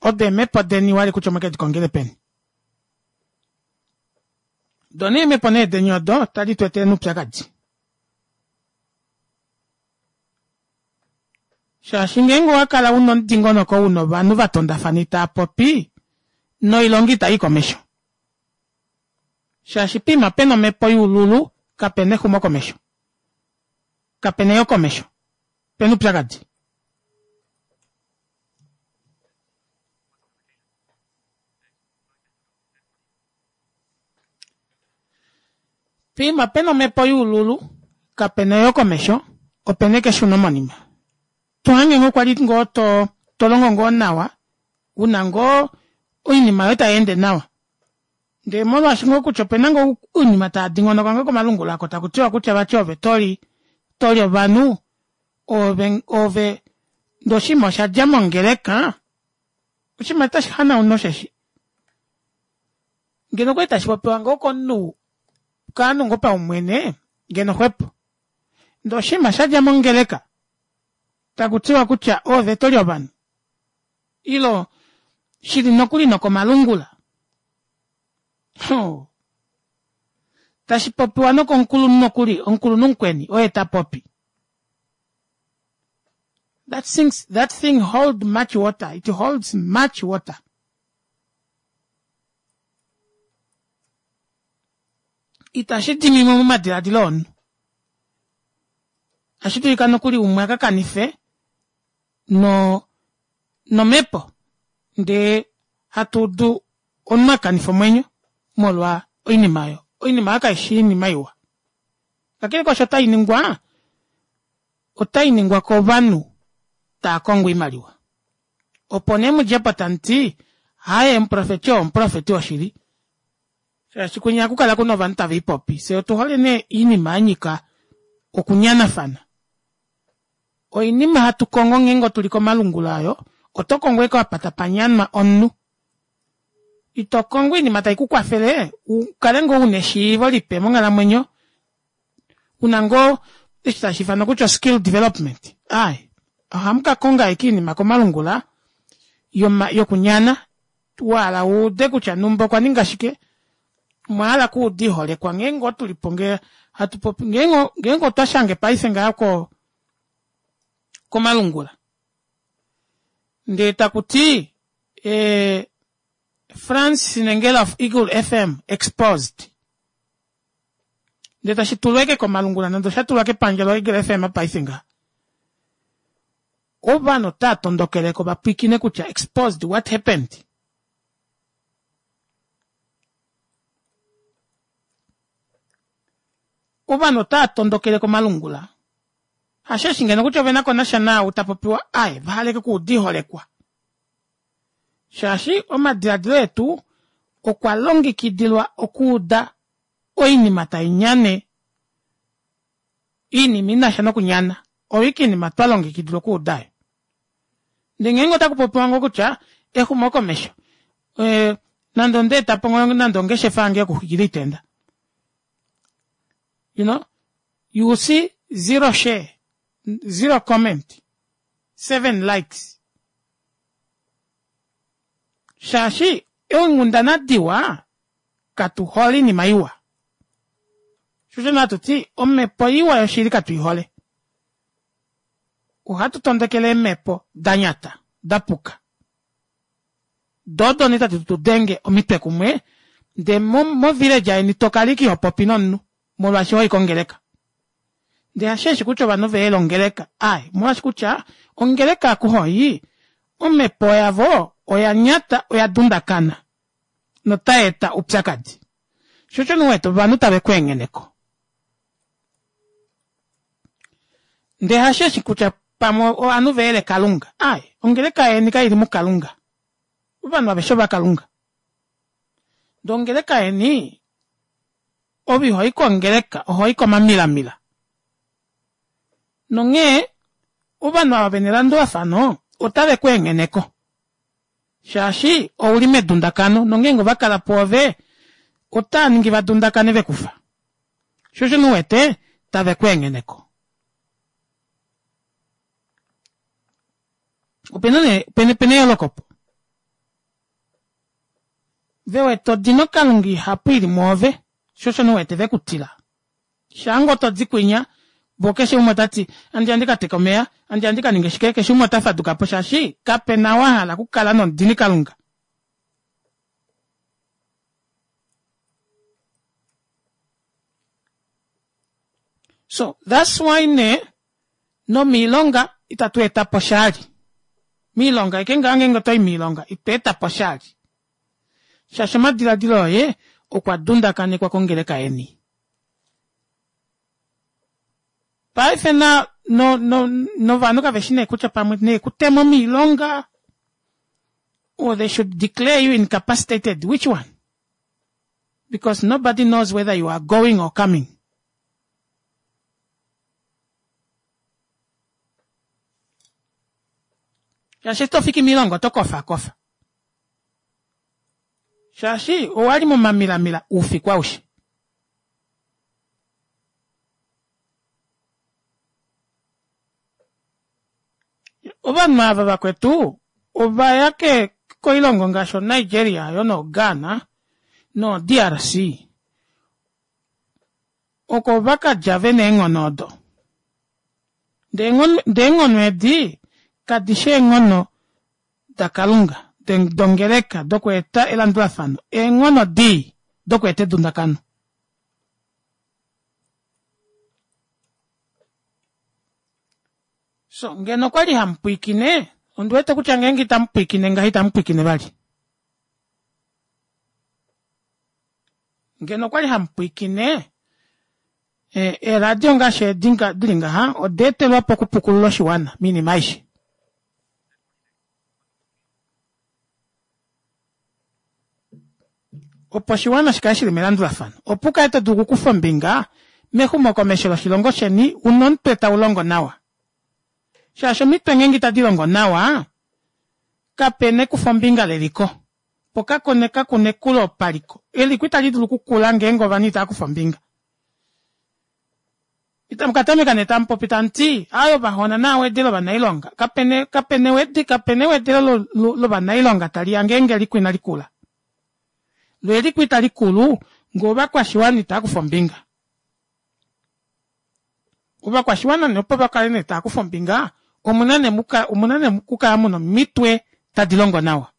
Odo eemhepo deni wali kutya omwe ke di kongele peni. Do nee eemhepo nee deni odo otadi tu etele oupyakadi. Shaashi ngeenge owa kala una omudingonoko una ovanhu va tondafana itaa popi, noilonga itai i komesho. Shaashi poima pena omhepo yoululu kapena exumokomesho. Kapena eyokomesho. Opena oupyakadi. Poima pena omhepo yoululu, kapena eyokomesho, opena eke eshunomonima. To hange ngoo kwali ngoo to to longo ngoo nawa, una ngoo oinima yoye tai ende nawa. Ndee molwaashi ngoo kutya opena ngoo oinima taa dingonoka ngoo komalungula oko taku tiwa kutya vati ove toli toli ovanhu, ove ove ndee oshinima osha dja mongeleka, oshinima otashi hanauna osheshi. Ngeno okwali tashi popiwa ngoo komunhu kaanhu ngoo paumwene ngeno xwepo. Ndee oshinima sha dja mongeleka taku tiwa kutya oove toli ovanhu ilo shili nokuli nokomalungula hoo tashi popiwa nokomukulunhu nokuli omukulunhu mukweni oye ta popi that things, that thing hold much water it holds much water itashi dimimwe momadiladilo omunhu otashi dulika nokuli umwe a ka kanife no nomhepo ndee hatu udu omunhu a kanifa omwenyo molwa oinima oyo. Oinima oyo kaishi oinima iwa. Kakele kwaasho otai ningwa, otai ningwa kovanhu taa kongo oimaliwa. Opo nee mudje po tamu ti, Haye, omuprofeti oo omuprofeti woshili. Shaashi kwinya ohaku kala kuna ovanhu tave i popi. Fye otu hole nee oinima ya nyika okunyanafana. Oinima hatu kongo ngeenge otu li komalungula oyo, oto kongo ashike apa tapa nyanwa omunhu. Ito kongo oinima tai ku kwafele u kale ngoo una eshiivo lipe monghalamwenyo, una ngoo eshi tashi ifanwa kutya oskill development. Aaye, ohamu ka konga ashike oinima komalungula yoma yokunyana wa hala wu ude kutya numba okwa ninga shike, omwa hala okuuda oiholekwa ngeenge otu li po ngee hatu popi ngeenge ngeenge otwa shange paife ngaha ko komalungula ndee taku ti eh, Frans Sinengela of Eagle FM exposed ndee tashi tulwa eke komalungula nande osha tulwa kepandja loEagle FM paife ngaha ovanhu otaa tondokeleko va pwiikine kutya exposed what happened. Ovanhu otava tondokele komalungula. Hasheshi ngeno kutya ove na ko nasha naau ta popiwa aye, va hala ashike okuuda oiholekwa. Shaashi omadiladilo etu okwa longekidilwa okuuda oinima tai nyane, oinima i na sha nokunyana. Oyo ashike oinima twa longekidilwa okuuda oyo. Ndele ngeenge otaku popiwa ngoo kutya exumokomesho, eh, nande onda eta po ngoo nande ongeshefa yange yokuxwikila oitenda. You know, you will see zero share, zero comment, seven likes. Shaashi eenghundana diwa katu hole oinima iwa. Shosho natu ti omhepo iwa yoshili katu i hole. Ohatu tondokele eemhepo da nyata, da puka. Do odo nee tadi tu denge omitwe kumwe, ndee mo, mo village yeni to kala ike iho popi nomunhu molwaashi hoi kongeleka. Ndee hasheeshi kutya ovanhu ve yele ongeleka, aaye, omolwaashi kutya ongeleka aku hoi, omhepo yavo oya nyata, oya dundakana notai eta oupyakadi. Sho osho nee u wete ovanhu tave ku engheneko. Ndee hasheshi kutya pamwe ovanhu ve yele Kalunga. Aaye, ongeleka yeni kai li muKalunga. Ovanhu aveshe ovaKalunga. Ndee ongeleka yeni, ove iho i kongeleka, oho i komamilamila. Nonghee, ovanhu ava ve na elandulafano otave ku engheneko. Shaashi ou li medundakano, nongeenge ova kala pwoove, otava ningi va dundakane ve ku fa. Sho osho nee u wete tave ku engheneko. Opena nee, opena, opena eyooloko opo. Ve wete odino Kalunga ihapu i li mwoove, sho osho nee u wete ve ku tila. Shaa ngoo to di kwinya, vo keshe umwe ota ti, Andi andi ka teke omeya, andi andi ka ninge shike, keshe umwe ota faduka po shaashi kape na wa hala okukala nomudini Kalunga. So, that's why nee, nomiilonga itatu eta po shali. Miilonga eke ngaa ngeenge oto i miilonga, ito eta po shali. Shaashi omadiladilo oye okwa dundakanekwa kongeleka yeni. Paife na, no, no, novanhu kave shi nee kutya pamwe ne ku temo miilonga or they should declare you incapacitated, which one? Because nobody knows whether you are going or coming. Shaashi to fiki miilonga oto kofa kofa. Shaashi owa li momamilamila oufiku aushe. Ovanhu ava vakwetu ova ya ke koilongo ngaashi oNigeria yo noGhana noDRC oko va ka dja ve na eenghono odo. Ndee eenghono edi kadi shi eenghono daKalunga, dongeleka, dokweeta elandulafano, eenghono dii dokweeta edundakano. So, ngeno okwali hamu pwiikine, ondi wete kutya ngeenge itamu pwiikine ngaho itamu pwiikine vali. Ngeno okwali hamu pwiikine, eeradio ngaashi edi dili ngaha, oda etelwa po okupukulula oshiwana miinima aishe. Opo oshiwana shi kale shi li melandulafano, opo u kale to dulu okukufa ombinga mexumokomesho loshilongo sheni u na omutwe tau longo nawa. Shaashi omitwe ngeenge itadi longo nawa, kape na ekufombinga leliko, po kaku na ekulo paliko. Eliko itali dulu okukula ngeenge ovanhu itava kufa ombinga. Itamu ka tameka nee tamu popi tamu ti, Aaye ovahona naa wedele ovanailonga. Kape kape na ewedi, kape na ewedelo lovanailonga tali ya ngeenge eliko inali kula. Lo eliko itali kulu ngee ovakwashiwana itava kufa ombinga. Ovakwashiwana nee opo va kale nee tava kufa ombinga, omuna nee muka, omuna nee okukala muna omitwe tadi longo nawa.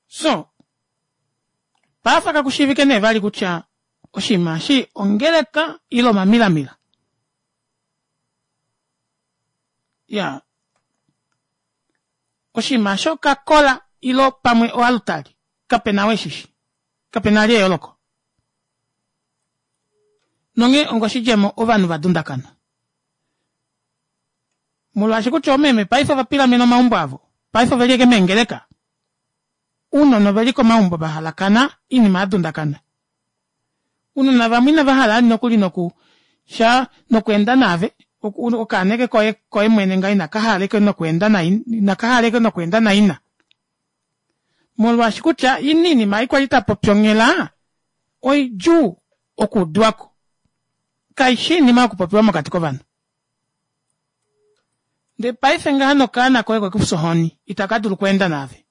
So, paife kaku shiivike nee vali kutya oshinima eshi ongeleka ile omamilamila. Ya, oshinima eshi okakola. ilo pamwe oalutali kape na weshishi kape na li eyooloko nonghee ongoshidjemo ovanhu va dundakana molwaashi kutya oomeme paife ova pilamena omaumbo avo paife oveli eke meengeleka ounona oveli komaumbo va halakana oinima ya dundakana ounona vamwe inava hala nokuli noku sha nokweenda naave okaana eke koye koye mwene nga inaka hala eke nokweenda naina inaka hala eke nokweenda naina molwaashi kutya ina iinima ei kwali tapopi onghela oidjuu okuudiwako kaishi iinima yokupopiwa mokati kovanhu ndee paife ngaha nokaana koye kwekufya ohoni itaka dulu okweenda naave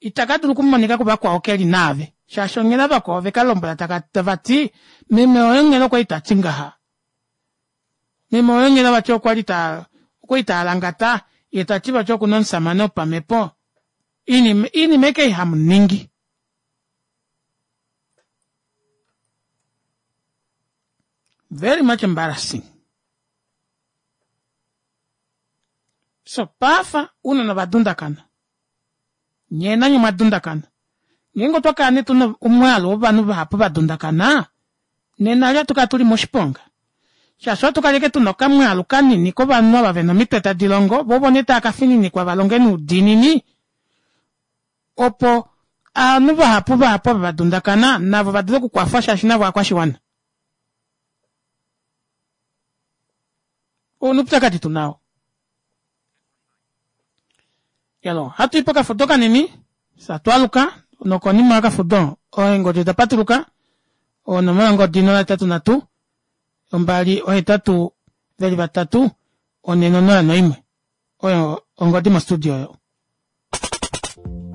itaka dulu okumonika kuvakwao ke li naave shaashi onghela vakwao ve ka lombwela tava ti meme oye onghela okwa li ta ti ngaha meme oye onghela vati okwa li ta okwa li ta alangata ye ta ti vati oku na omusamane wopamhepo iinima iinima eke ihamu ningi very much embarrassing so pafa uunona ova dundakana nyee nanye omwa dundakana ngeenge otwa kala nee tuna omwaalu wovanhu vahapu va dundakana nena ali ohatu kala tuli moshiponga shaashi ohatu kala ashike tuna okamwaalu kanini kovanhu ava vena omitwe tadi longo vo ovo nee tava ka fininikwa va longe noudiinini opo ovanhu vahapu vahapu ava va dundakana navo va dule okukwafwa shaashi navo ovakwashiwana Ou oupyakadi tu nao. Yalo, hatu i pokafudo kanini, satwaluka, nokonima yokafudo, eengodi oda patuluka, onomola yongodi 083 2 8 401 Oyo ongodi mostudio oyo.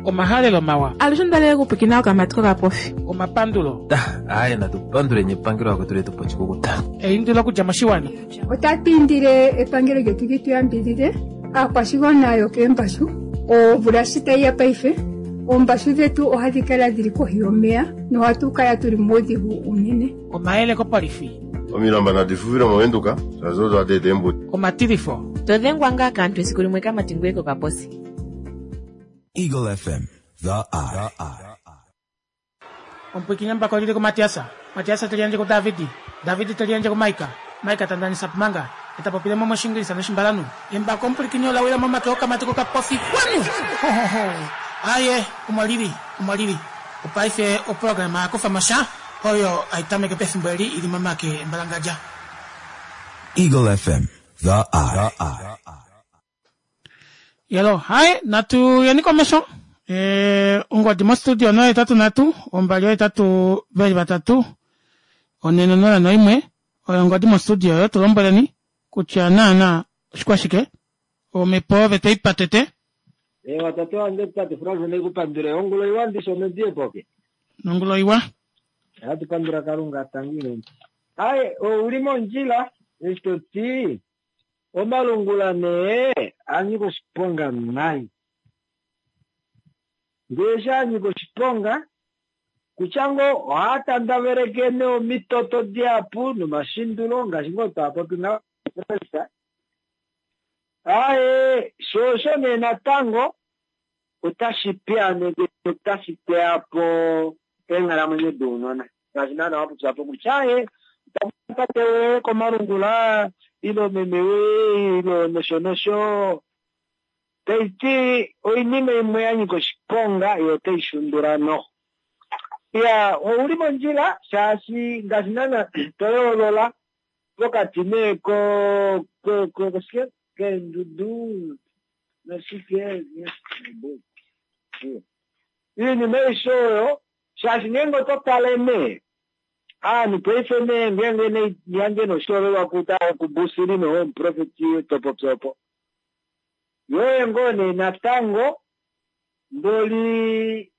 Omahalelo mawa. Alushe onda okupwikina okamati kokapofi. Omapandulo. Aaye natu panduleni epangelo akwetu letu po oshikukuta. Eindilo okudja moshiwana. Otatu indile epangelo lyetu li tu yambidhidhe aakwashigwana yokeembashu omvula shi tayi ya paife oombashu dhetu ohadhi kala dhili kohi yomeya nohatu kala tuli muudhigu uunene. Omayele kopolifi. Omilamba nadi fufile moVenduka shaashi odo hadi eta eembuto. Omatilifo. To dhengwa ngaa kaantu esiku limwe kamati ngweye kokaposi. Eagle FM, the eye. Omupwiikini embako lili kuMatiasa, Matiasa te liyandje kuDavidi, Davidi te liyandje kuMaika, Maika ta ndanisa pumanga, e ta popile mo mOshiingilisa nOshimbalanhu. Embako omupwilikini ola wila momake okamati kokapofi kwanu! Ho ho ho! Aaye, omo lili, omo lili. Opaife oprograma ya kufa mo sha, oyo hai tameke pefimbo eli i li momake embalangadja. Eagle FM, the eye. Yelo, hai, natu yeni komesho. E, ongodi mostudio 083 2 8 401 oyo ongodi mostudio oyo tu lombweleni kutya naana oshikwashike omhepo ove toi patete Ewa tate wange tate Frans ndikupandule ongulo iwa ndisho medie poke. Nongulo iwa. Ohatu pandula Kalunga tangi nene. Aye ouli mondjila eshi to ti omalungula nee a nyika oshiponga nai. Ndee eshi a nyika oshiponga kutya ngoo ohaa tandaveleke nee omitoto dihapu nomashindulo ngaashi ngoo twa popi ngaho. Aaye, sho osho nee natango otashi piyaaneke notashi teya po eenghalamwenyo dounona ngaashi naana wa popya po kutya aaye ota tate woye komalungula ile meme woye ile nosho nosho. Tai ti oinima imwe ya nyika oshiponga yo otai shundula noho. Iya, ouli mondjila shaashi ngaashi naana to yoolola pokati nee ko ko ko koshike keendudu noshike iinima aishe oyo shaashi ngeenge oto tale nee aanhu paife nee ngeenge nee yandje noshiholelwa kuta kubusili nomuprofeti topopi opo yoye ngoo nee natango mboli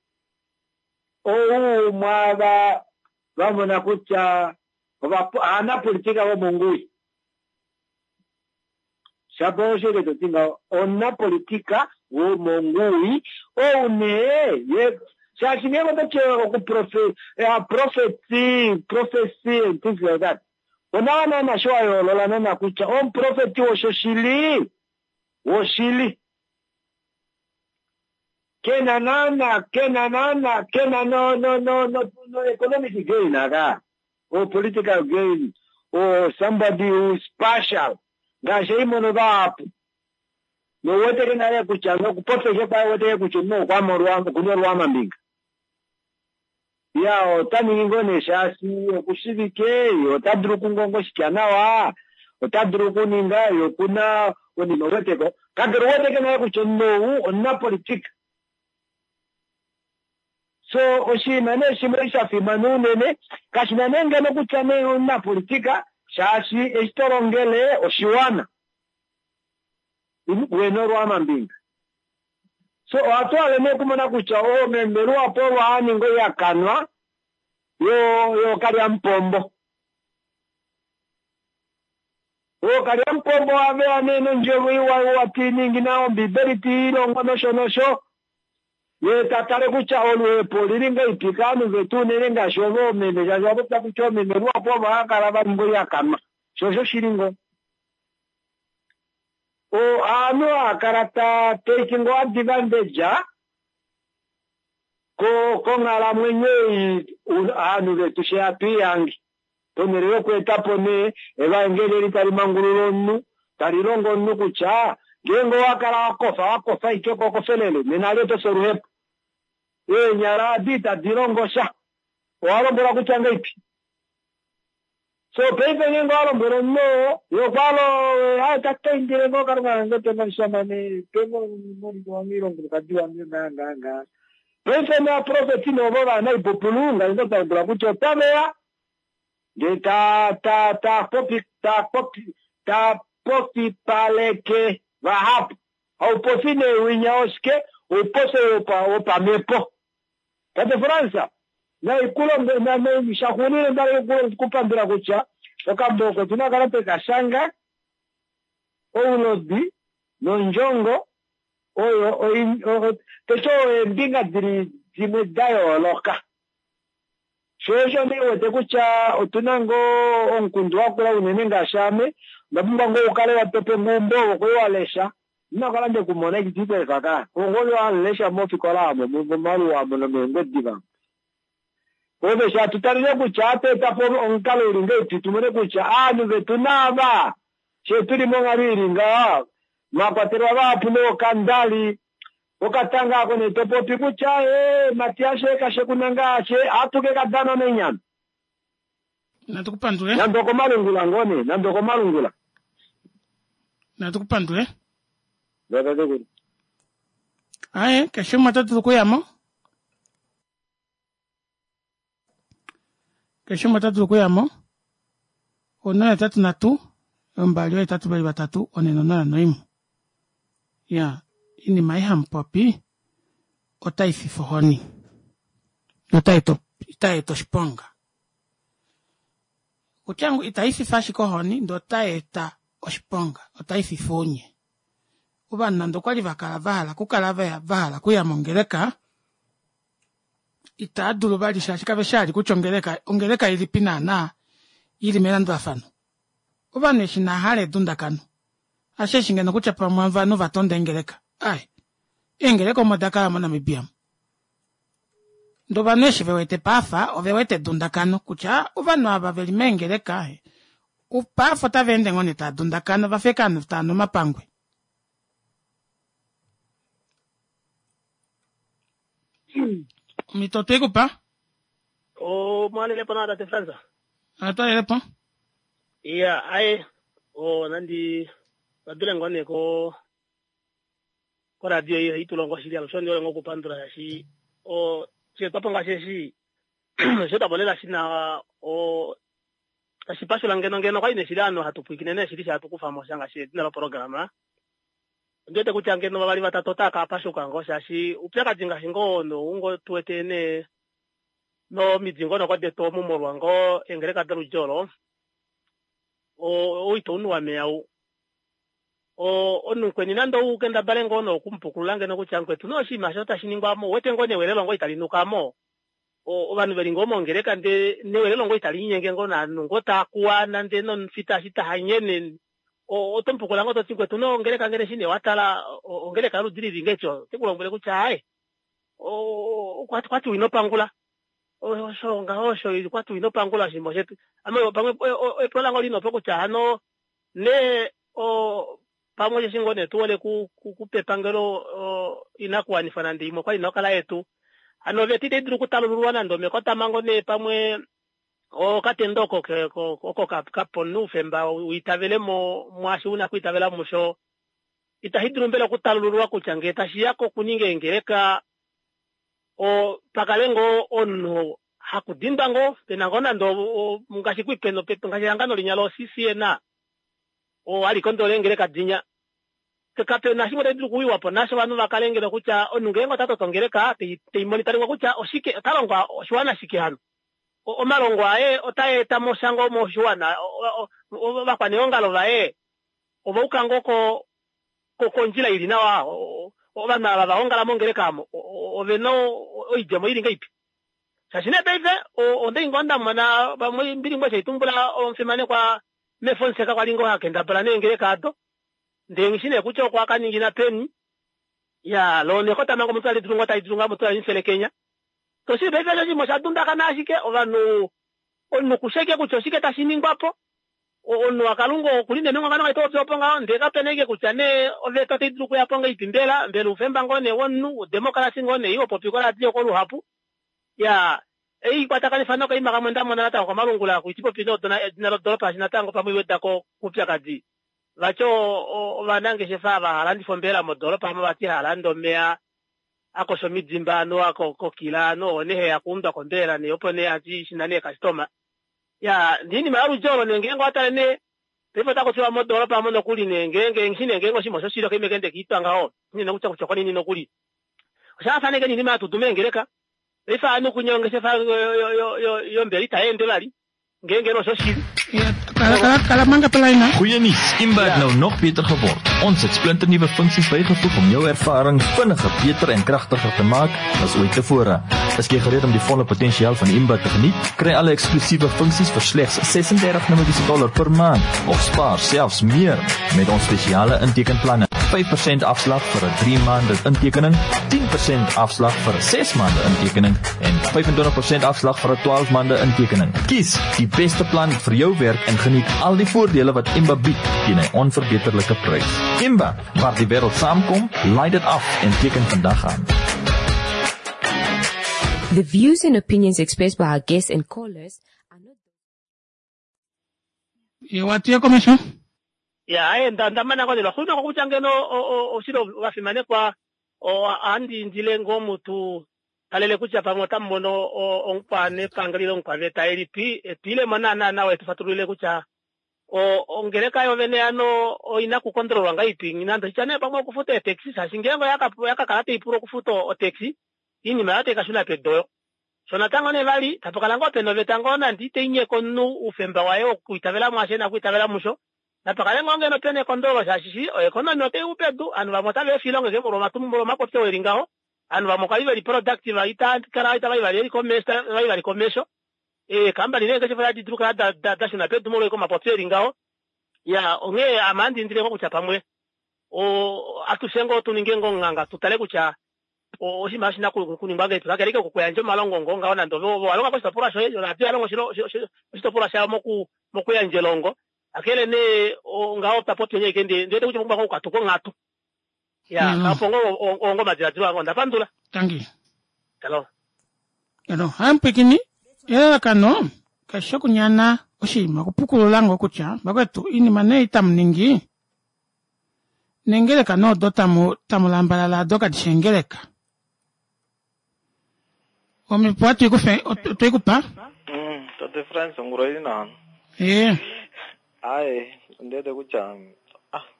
ou mwaava va mona kutya Ovanapolitika vomonguwi. Shapo osho eke to ti ngaho, omunapolitika womonguwi ou nee ye shaashi ngeenge oto ti okuprofe prophecy, prophecy and things like that, onawa naana sho wa yoolola naana kutya omuprofeti woshoshili woshili. Kena naana kena naana kena no no no no no economic gain aka or political gain or somebody who is partial ngaashi eimono vahapu nouweteke nale kutya nokupopya kwaye weteke kutya omunhu okuna olwaamambinga. Ya ota ningi ngoo nee shaashi okushivike ye ota dulu okungonga oshitya nawa ota dulu okuninga ye okuna onima uweteko kakele uweteke nale kutya omunhu ou omunapolitika. So oshinima nee shimwe sha fimana unene kashina nee ngeno kutya nee omunapolitika shaashi eshi to longele oshiwana wena olwaamambinga. So ohatu hale nee okumona kutya oomeme luhapu ovo hava ningi oihakanwa yookalyamupombo. Ookalyamupombo ohave ya nee nondjovo iwa iwa tiiningi na ombibeli tiilongo nosho nosho ye ta tale kutya oluhepo olili ngahelipi kaanhu vetu unene ngaashi ovo oomeme shaashi owa popya kutya oomeme luhapu ovo hava kala va ninga oihakanwa sho osho shili ngoo. Ovanhu hava kala ta take ngoo advantage konghalamwenyo ei ovanhu vetu she hatu ihange ponhele yoku etapo nee evaengeli eli tali mangulula omunhu tali longo omunhu kutya ngeenge owa kala wakofa wakofa ashike kokofelele nena ali oto fi oluhepo. Eenyala adi itadi longo sha owa lombwelwa kutya ngahelipi. So paife ngeenge owa lombwela omunhu oo ye okwalo tataindile ngoo kalunga kange penge omushamane penge omumoniko wange ile omukulukadi wange ngaa ngaa ngaa. Paife novaprofeti novo vanaipupulu ngaashi ndo twa kutya otaveya ndee ta ta ta popi ta popi ta popipaleke vahapu. Haupofi nee winya oshike oupofi wopamhepo. Tate Fransa naikulonge shaxuuninwa ndali kupandula kutya okambo oko otuna kala tweka shanga oulodi nondjongo oyo teti oyo eembinga dili dimwe da yooloka. Sho osho nee wete kutya otuna ngoo omukundu wakula unene ngaashi ame onda pumbwa ngoo ukale watope eumbo ovo kwali walesha inakala ndekumona eshi tiikweefa ka ongoli walesha mofikola amo momaluwa amo nomeengwediva. Ove sha tutalile kutya ohatu etapo omukalo uli ngahelipi tumone kutya aanhu vetu naava she tuli monghalo ili ngaha mwakwatelwa vahapu nookandali okatanga ako nee topopi kutya ee Matias kashekuna ngaashe ohatu ke kadana menyama. Natu kupandule. Nande okomalungula ngoo nee nande okomalungula. Natu kupandule. Aye keshe umwe ota dulu okuyamo. Keshe umwe ota dulu okuyamo. 083 2 823 401. Ya, inima ei hamupopi otai fifa ohoni. Notai eta oshiponga. Kutya itai fifa ashike ohoni ndee otai eta oshiponga, otai fifa ounye. Ovanhu nande okwali vakala vahala okukala vahala okuya mongeleka itaa dulu vali shaashi kave shali kutya ongeleka ongeleka ilipi naana ili melandulafano. Ovanhu eshi nahala edundakano asheshi ngeno kutya pamwe ovanhu vatonda eengeleka. Ai, eengeleka omo dakala moNamibia. Ndee ovanhu eshi vewete paafa ovewete edundakano kutya ovanhu ava veli meengeleka paafa otava ende ngoo nee taa dundakana vafa ashike ovanhu tava nu omapangwe. Omhito otweikupa? Omwalelepo nawa tate Frans. Atwalelepo. Iya, aye nandi vadule ngoo nee ko koradio ei ohai tulongo shili alushe ondi hole ngoo okupandula shaashi osheetwapo ngaashi eshi osheetwapo lela shina tashi pashula ngeno ngeno okwali nee shili ovanhu hatu pwilikine nee shili hatu kufamo sha ngaashi edina loprograma. Ondi wete kutya ngeno vavali vatatu otava ka pashuka ngoo shaashi oupyakadi ngaashi ngoo nou ngoo tuwete nee nomidingonoko detu omu molwa ngoo eengeleka doludi olo ou ito unuwa meya ou. Omunhu mukweni nande ou kendabale ngoo nokumupukulula ngeno kutya mukwetu nee oshinima osho tashi ningwa mo ouwete ngoo newelelo ngoo itali nuka mo. Ovanhu veli ngoo mongeleka ndee newelelo ngoo itali linyenge ngoo novanhu ngoo taakuwa nande nomufita eshi tahanyene oto mupukula ngoo toti mukwetu nee ongeleka ngeno eshi nee watala ongeleka yoludi lili ngahelipi ote kulombwele kutya aaye. Okwa ti ino pangula. Osho ngaho osho okwa ti ino pangula oshinima oshetu. Ame pamwe epulo lange oli nopo kutya hano nee pamwe osheshi ngoo nee tu hole kupa epangelo inakuwanifwa nande imwe okwali ina okukala yetu. Hano oveta itai dulu okutalululwa nande omekotamhango nee pamwe okatendo oko oko kapa omunhu oufemba uitavele mwaashi una okwiitavela musho. Itashi dulu mbela okutalululwa kutya ngee tashiya kokuninga eengeleka pakale ngoo omunhu hakudindwa ngoo pena ngoo nande ngaashi ngaashi ehangano linya lo-CCN oo hali kondolola eengeleka dinya. Kapena shimwe tashi dulu okuwiwapo nasho ovanhu vakale ngeno kutya omunhu ngeenge ota toto ongeleka teimonitaringwa kutya oshike ota longwa oshiwana shike hano. Omalongo aye otaa eta mo sha ngoo moshiwana, ovakwaneongalo vaye ova uka ngoo kondjila ili nawa, ovanhu ava va ongala mongeleka omo ovena oidjemo ili ngahelipi. Shaashi nee paife ondali ngoo nda mona pamwe mbili ngoo eshi omufimanekwa meFonseca kwali ngoo hakendabala neengeleka ado, ndee nghishi nee kutya okwa ka ningina peni. Ya loo nekotamhango omutu tali dulu ngoo tali dulu ngoo mutu tali mufelekenya. Toshili paife osho oshinima osha dundakana ashike ovanhu omunhu kushi ashike kutya oshike tashi ningwa po. Omunhu waKalunga okuli nee mengwangwano ngaashi topopi opo ngaho, ndee kapena ashike kutya nee oveta otai dulu okuya po ngahelipi mbela, mbela oufemba ngoo nee womunhu, odemocracy ngoo nee ei hopopi koradio koluhapu. Ya ei ikwatakanifa nokaima kamwe nda mona natango komalungula ku itipopi edina lodoropa shaashi natango pamwe iwedako koupyakadi. Vati ovanangeshefa ava hava landifa ombelela modoropa omo vati hava lande omeya akosha omidimba anuwa kokila anu oo nee heya kuundwa kombelela nee opo nee ati shina nee customer. Ya oinima yoludji olo nee ngeenge owa tale nee paife otaku tiwa modoropa omo nokuli nee ngeenge nghishi nee ngeenge oshinima oshoshili okaima eke kiitwa ngaho nghina kutya kutya okonini nokuli. Osha faafana ashike noinima yatudu meengeleka. Paife ovanhu kunya ongeshefa yombele itai ende vali ngeenge oshoshili. Kala manga pelaina. Goeie nuus, Imba het nou nog beter geword. Ons het splinternuwe funksies bygevoeg om jou ervaring vinniger, beter en kragtiger te maak as ooit tevore. Is jy gereed om die volle potensiaal van Imba te geniet? Kry alle eksklusiewe funksies vir slegs 36 Namibiese dollar per maand of spaar selfs meer met ons spesiale intekenplanne. 5% afslag vir 'n 3 maande intekening, 10% afslag vir 'n 6 maande intekening en 25% afslag vir 'n 12 maande intekening. Kies die beste plan vir jou werk en geniet al die voordele wat Imba bied teen 'n onverbeterlike prys. Imba, waar die wêreld saamkom, laai dit af en teken vandag aan. The views and opinions expressed by our guests and callers are not Ye watu ye komesho. Ya aye nda mana ngoo nee lwaxuuninwa kutya ngeno oshili ovafimanekwa ohandi indile ngoo mutu talele kutya pamwe otamu mono omukwanepangelo ile omukwaveta elipi etwiilemo naana nawa etu fatululile kutya ongeleka yovene yano oina okukondololwa ngahelipi nande oshitya nee pamwe okufuta eetaxi shaashi ngeenge oya kakala taipula okufuta otaxi iinima yayo tai kashuna pedu oyo. Sho natango nee vali tapakala ngoo pena oveta ngoo nande itai nyeke omunhu oufemba waye wokwiitavela mwaasho ena okwiitavela musho napakale ngoo ngeno pena ekondololo shaashi oeconomy otai u pedu ovanhu vamwe otava efa oilonga ashike molwa omapopyo eli ngaho ovanhu vamwe okwa li veli productive itakala itava vali eli komesho itava vali komesho eekambani neengeshefa otadi dulu kukala dashuna pedu molwa omapopyo eli ngaho. Ya onghee ame ohandi indile ngoo kutya pamwe atushe ngoo tuninge ngoo omunganga tutale kutya oshinima oshina okuningwa ngahelipi kakele ashike okuyandja omalongo ngoo ngaho nande ove walonga koshitopolwa shoye oradio oyalonga oshitopolwa shayo mokuyandja elongo kakele nee ngaho tapopi ashike ndiwete kutya opumbwa ngoo okukatuka onghatu. Ya opo ngoo ongo omadiladilo ange onda pandula. Tangi. Hello. Hello, hamupwikini elalakano kashi okunyana oshinima okupukulula ngoo kutya vakwetu iinima nee itamu ningi nengeleka noodo tamu lambalala ado kadi shi eengeleka. Omhepo ohatu ikufe otweikupa? Tate Frans ongula oili nawa. Ee. Aye, ondi wete kutya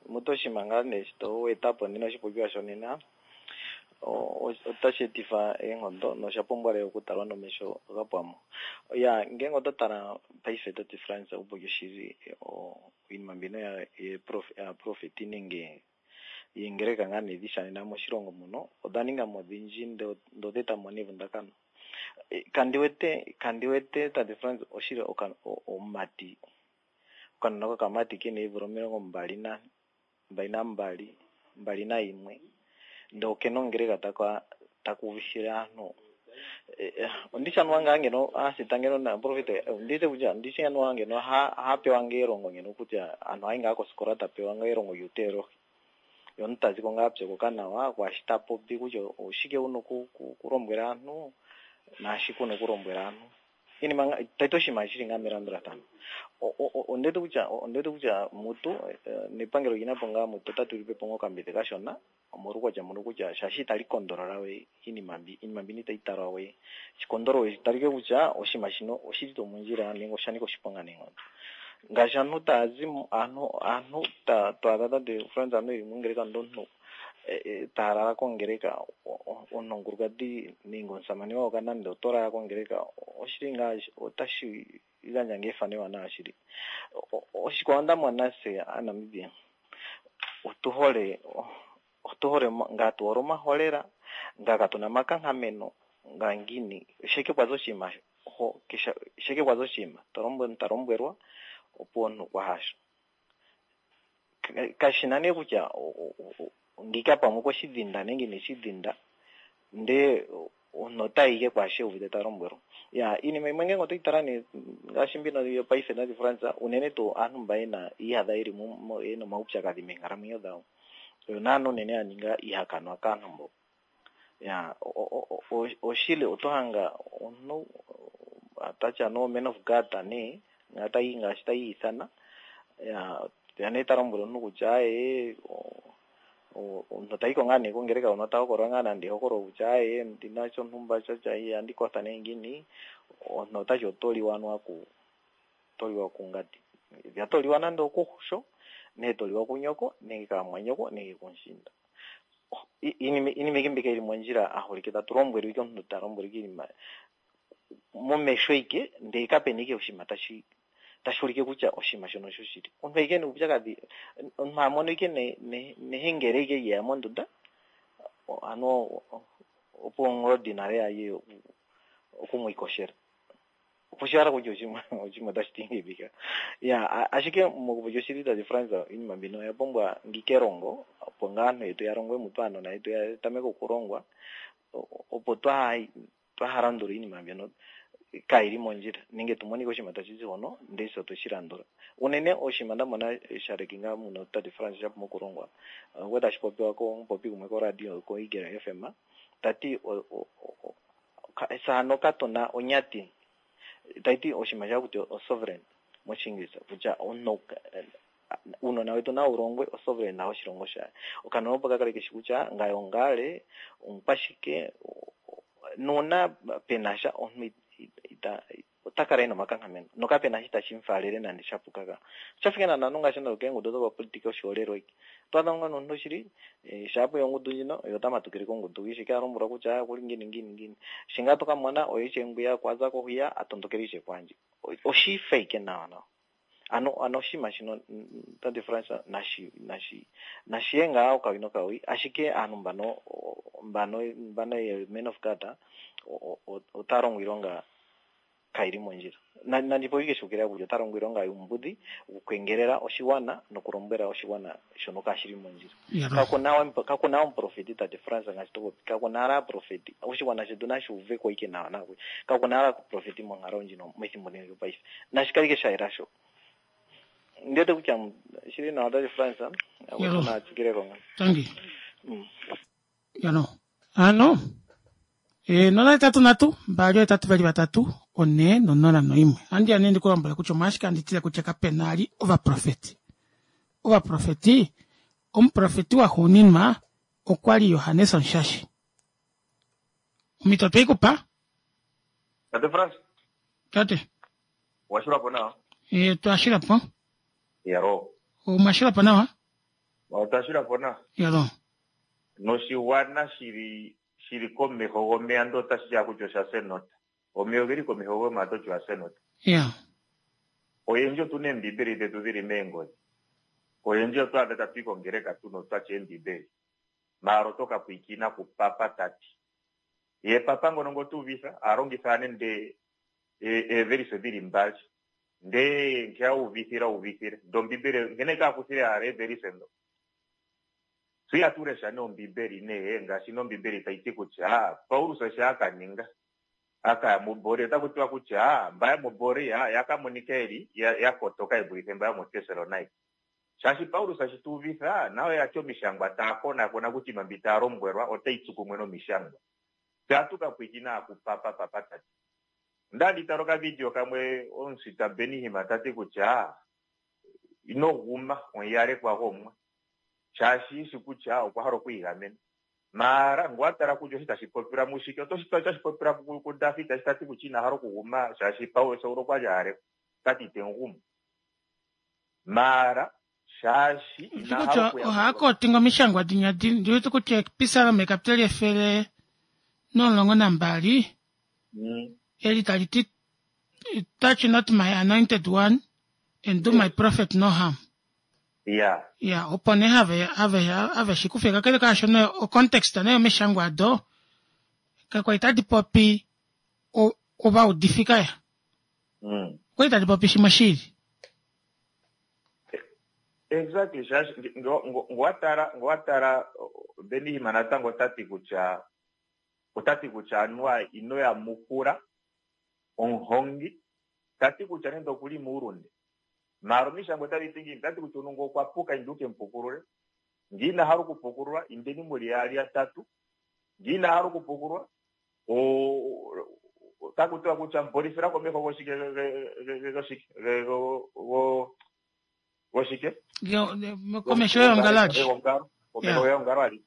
mutu oshinima ngaa nee eshi to eta po nena oshipopiwa shonena otashi etifa eenghondo nosha pumbwa lela okutalwa nomesho ga pwamo. Ya ngeenge oto tala paife tate Frans oupoki oshili oinima mbino yaprofeti nenge yeengeleka ngaa nee dishanena moshilongo muno oda ninga mo odhindji ndee oda eta mo nevundakano. Kandi wete tate Frans oshili omumati okanona kokamati kena eemvula omilongo mbali na mbali, mbali naimwe ndee okena ongeleka taka. taka uvithile aantu. Ondishi anuwa ngaa ngeno aasita ngeno naaprofeti ondiwete kutya ondishi anuwa ngeno oha pewa ngaa elongo ngeno kutya aantu ohayi ngaa kosikola ta pewa ngaa elongo lyuuteolohi. Ye omuntu ta ziko ngaa a pyokoka nawa kwaashi ta popi kutya oshike wuna okulombwela aantu naashike wuna okulombwela aantu. Iinima tayi ti oshinima shili ngaa melandulathano. Ondiwete kutya ondiwete kutya mutu nepangelo olina po ngaa mutu ota tulilepo ngaa okambidhi kashona omolwuukwatya mbuno kutya shaashi itali kondolola we iinima mbi, iinima mbino itayi talwa we shi kondololwe shi talike kutya oshinima shino oshili tuu mondjila nenge osha nika oshiponga neenghono. Ngaashi aantu taya zi aantu aantu ta to adha tate Frans aantu yeli mongeleka ndele omuntu taya lala kongeleka omuntu omukulukadhi nenge omusamane wawo nande oto lala kongeleka oshili ngaa otashi gandja ngaa efano ewanawa shili. Oshikwawo nda mona se aaNamibia otu hole otu hole ngaa tu hole omaholela ngaa katuna omakankameno ngaa ngiini sheke kwaza oshinima ho sheke kwaza oshinima ta lombwelwa opo omuntu kwa hasho. Kashina nee kutya ngika pamwe okweshi dhinda nenge ineshi dhinda ndee omuntu otayi ike kwaasho euvite ta lombwelwa. Ya iinima yimwe ngenge otoyi tala nee ngaashi mbino yopaife tate Frans unene tuu aantu mba yena yiiyadha yeli yena omaupyakadhi meenkalamwenyo dhawo oyo naana unene ya ninga iihakanwa kaantu mbo. Ya oshili oto hanga omuntu tatya no man of God nee tayi ngaashi tayi ithana ya ya nee ta lombwele omuntu kutya aye omuntu tayiko ngaa nee kongeleka hono ta hokolola ngaa nande ehokololo kutya aye ndina shontumba shotya ihandi kotha nee ngiini omuntu otati oto liwa anuwa ku oto liwa kungandi to liwa nande okuxo nenge to liwa kunyoko nenge kaamwanyoko nenge kumushiinda. Iinima ike mbika ili mondjila aholike tatu lombwelwa ike omuntu ta lombwelwa ike iinima momesho ike ndele kapena ike oshinima tashi tashi ulike kutya oshinima shono oshoshili. Omuntu ike nuupyakadhi omuntu amono ike nehengele ike lyeya mondunda ano opo ongodhi nale yaye okumwiikoshela. Opo kutya oshinima oshinima otashi ti ngiini. Ya ashike mokupopya oshili tate Frans iinima mbino oya pumbwa ngika elongo opo ngaa aantu yetu ya longwe mutu aanona yetu ya tameke okulongwa opo twaha landula iinima mbyono kayili mondjila nenge tumonike oshinima tashi zi hono ndele se otweshi landula. Unene oshinima nda mona sha lekinga muno tate Frans sha pumbwa okulongwa okwa tashi popiwa komupopi gumwe koradio ko Eagle FM tati saano katuna onyati taiti oshinima sha kuti osovereign moshingilisa kutya omuntu uunona wetu nawu longwe osovereign nawo oshilongo shaye. Okanona opo kakale keshi kutya ngaye ongale omukwashike nuuna penasha omuntu ota kala ena omakankameno nokapena shi tashi mufaalele nande sha puka ka. Oshafike naana ngaashi nokeengudu dhopapolitika oshiholelwa ike. Oto adha ngaa nomuntu shili shaapo ongudu ndjino ye ota matukile kongudu shi a lombwelwa kutya okuli ngiini ngiini ngiini. Shi ngaa toka mona oye ishewe ngwiya okwaza ko hwiya a tondokele ishewe kwaandji. Oshifa ike nawa nawa. Ano ano oshinima shino tate Frans nashi nashi nashiye ngaa okawi nokawi ashike aantu mbano mbano mbano ye men of God ota longo iilonga kayili mondjila. Nandi popi shukila kutya ota longo iilonga yuumbudhi okukwengelela oshiwana nokulombwela oshiwana shono kashili mondjila. Kakuna omuprofeti tate Frans ngaashi to popi kakuna ala aaprofeti oshiwana shetu nashi uveko ike nawa nawa kakuna ala aaprofeti monkalo ndjino methimbo ndino lyopaife nashi kale ike sha yela sho. Ndiwete kutya shili nawa tate Frans natsikileko nga. Tangi. Yano. Ano 083 283 4 001. Andi ya nee ndikulombwele kutya omolwashike handi tile kutya kapena ali ovaprofeti. Ovaprofeti omuprofeti waxuuninwa okwali Johannes Omushashi. Omhito tweikupa? Tate Frans. Tate. Owashilwapo nawa? Twashilapo. Yalo. Omwashilapo nawa? Otwashilapo nawa. Yalo. Noshigwana shili shili komeho gomeya ndo otashi ya kutya osha senota. Omeya ogeli komeho gomeya ototi oya senota. Ya. Oyendji otuna eembibeli dhetu dhili meengodhi. Oyendji oto adha tatu yi kongeleka tuna otwatya eembibeli. Maala oto ka pwiikina kupapa tati. Ye papa ngono ngo tuuvitha alongitha nende eevelise dhili mbali. Ndee nke auvithile auvithile. Ndo ombibeli nkene kaakuthile ala eevelise ndo. Fye ihatu lesha nee Ombibeli nee ngaashi nee Ombibeli tai ti kutya Paulus osho a ka ninga, a ka ya muBorea. Otaku tiwa kutya mba yomuBorea ya ka monika eli ya kotoka i dulife mba yomuTessalonika. Shaashi Paulus eshi ta uvifa, nayo oya ti Omishangwa taa konakona kutya oinima mbi taa lombwelwa otai tsu kumwe nOmishangwa. Fye ohatu ka pwiikina kupapa, Papa ta ti. Onda li tala okavidio kamwe omusita Benny Hinn ta ti kutya ino guma omuyalekwa gOmwa shaashi eshi kutya okwa hala okwiigamena. Maara ngele owa tala kutya oshi tashi popilwa mushike, oto shi tashi popilwa kuDavid eshi ta ti kutya ina hala okuguma shaashi Paulus Saul okwa li a halekwa, ota ti ite mu gumu. Maara shaashi ina hala kutya okuya ohaa kootinga omishangwa dinya di ndi wete kutya episalome ekapiteli 112 eli tali ti touch not my anointed one and do my prophet no harm. Ya. Ya, opo nee have, have, have shi kufe. Kakele kaashono, ocontext nee yomishangwa ado, kakwa li tadi popi o, ovaudifi kaya. Okwa li tadi popi shimwe shiili. Exactly, shaashi nge, nge, nge wa tala, nge wa tala, Benny Hinn natango ota ti kutya, ota ti kutya anuwa ino yamukula omuhongi, ta ti kutya nande oku li muulunde. Maala omishangwa otadhi ti ngiini? Otadhi ti kutya omuntu ngele okwa puka, inda u ke mu pukulule. Ngele ina hala okupukululwa, indeni mu li yaali yatatu. Ngele ina hala okupukululwa, otaku tiwa kutya mu polithila komeho goshike goshike goshike Komeho yeongalo alihe. Komeho yeongalo alihe.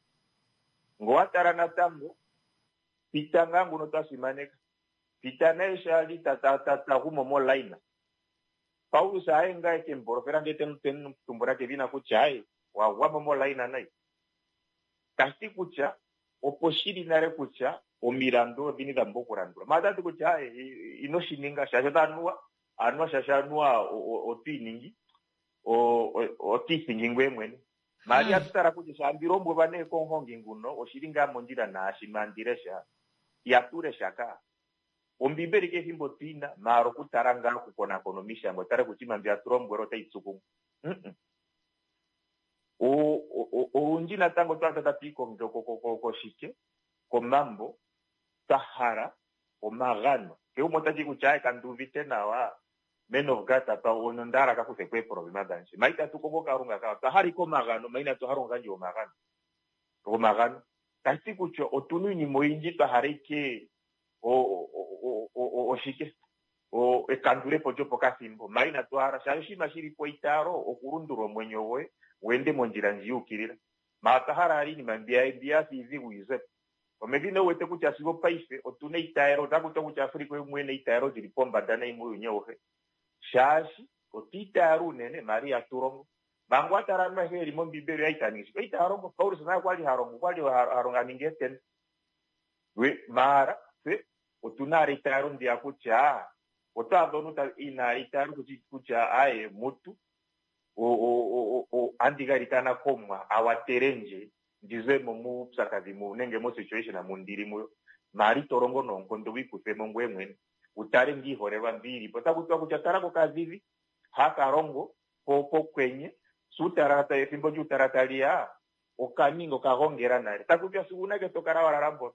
Ngele owa tala natango, Pita ngaa nguno twa simaneka, Pita naye sho a li ta ta gu mo molayina, Paulus haye ngaa e ke mu bolofela ndele te mu tumbula kedhina kutya aye, wa gwa mo molayina nayi. Tashi ti kutya opo shi li nale kutya omilandu odhini dha pumbwa okulandulwa. Maala ota ti kutya aye, ino shi ninga shaashi ota anuwa, anuwa shaashi anuwa oto iningi, oto ithingi ngweye mwene. Maala ihatu tala kutya sho andi lombwelwa nee komuhongi nguno oshi li ngaa mondjila naashi andi lesha. Ihatu lesha kaa. Ombiibeli kehe ethimbo otu yi na, maala okutala ngaa okukonakona omishangwa tale kutya iinima mbi hatu lombwelwa otayi tsu kumwe. Mm-mm. Olundji natango otwa adha tatu yi koshike, komambo, twa hala omagano. Kehe gumwe ota ti kutya aye kandi uvite nawa, man of God apa onda hala ka kuthe po eeproblema dhandje. Ma itatu kongo Kalunga ka, otwa hala ike omagano, ma inatu hala omugandji gomagano. Gomagano. Tashi ti kutya otu na iinima oyindji twa hala ike oshike ekandulepo lyopokathimbo ma inatu hala shaashi oshinima shi li po eitaalo okulundulula omwenyo goye wu ende mondjila ndji yu ukilila ma otwa hala owala iinima mbiya mbi ya fa iidhigu yi ze po omedhina wu wete kutya sigo paife otu na eitaalo otaku tiwa kutya Afrika oye mwene e na eitaalo lyi li pombanda nayi muuyuni awuhe shaashi otwa itaala unene maala ihatu longo manga wa tala aantu ayehe ye li mOmbiibeli oya li taya ningi shike oya li taya longo Paulus naye okwa li ha longo okwa li ha longo a ningi eetenda We, maara tse otu na ala eitaalo ndiya kutya oto adha omuntu ta ina eitaalo kutya aye mutu o- o- o- o- andi galikana kOmwa a watele ndje ndi ze mo muupyakadhi mu nenge mo situation mu ndili muyo. Maara ito longo noonkondo wu ikuthe mo ngoye mwene. Wu tale ngaa iiholelwa mbi yi li po. Otaku tiwa kutya tala kokadhidhi haka longo po pokwenye sho uutalala ta ethimbo lyuutalala tali ya oka ninga oka gongela nale. Taku tiwa sigo uunake to kala wa lala mpono?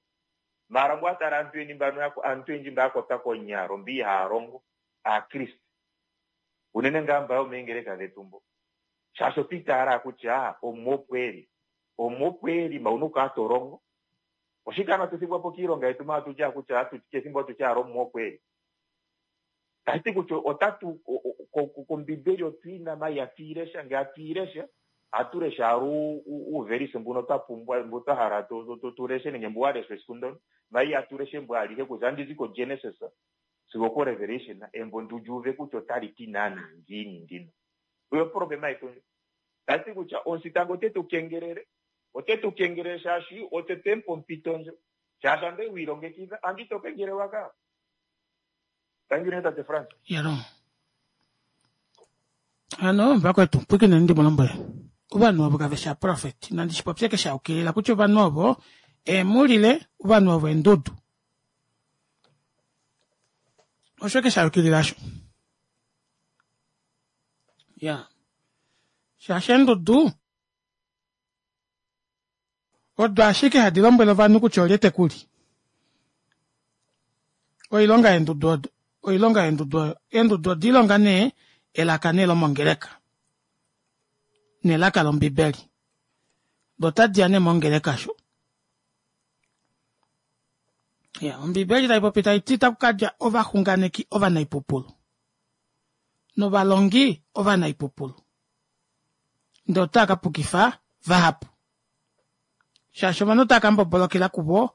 Maala ngele owa tala aantu yeni mbano ya aantu oyendji mba ya kwatwa konyalo mba ihaa longo, aakriste. Unene ngaa mba yomeengeleka dhetu mbo. Shaashi otwa itaala kutya Omuwa opo e li. Omuwa opo e li, ma owuna okukala to longo. Oshike ano hatu thigwa po kiilonga yetu ma hatu ti kutya hatu kehe ethimbo hatu ti owala Omuwa opo e li. Tashi ti kutya otatu kOmbiibeli otu yi na ma ihatu yi lesha. Ngele hatu yi lesha, ohatu lesha owala uuvelise mbuno twa pumbwa, mbu twa hala tu leshe nenge mbu wa leshwa esiku ndyono. Ma ihatu lesha embo alihe kutya andi zi koGenesis sigo okoRevelation, embo ndu li uve kutya otali ti naanaa ngiini ndino. Oyo oproblema yetu ndjo. Tashi ti kutya omusita ngo ote tu kengelele, ote tu kengelele shaashi otse twe mu pa ompito ndjo. Shaashi ando oye wi ilongekidha, ando ito kengelelwa kaa. Thank you, tate Frans. Yalo. Hano vakwetu pwikineni ndi mu lombwele. Ovanhu ovo kave shi aprofeti. Nandi shi popye kesha ukilila kutya ovanhu ovo eemulile, ovanhu ovo eendudu. Osho kesha ukilila osho. Ya. Shaashi eendudu. Odo ashike hadi lombwele ovanhu kutya olye te ku li. Oilonga yeendudu odo, oilonga yeendudu oyo. Eendudu oda ilonga nee elaka nee lomongeleka. Nelaka lOmbibeli. Do otadi ya nee mongeleka sho. Ya, Ombibeli tai popi tai ti taku ka dja ovaxunganeki ovanaipupulu novalongi ovanaipupulu. Ndele otava ka pukifa vahapu. Shaashi ovanhu otava ka mbobolokela kuvo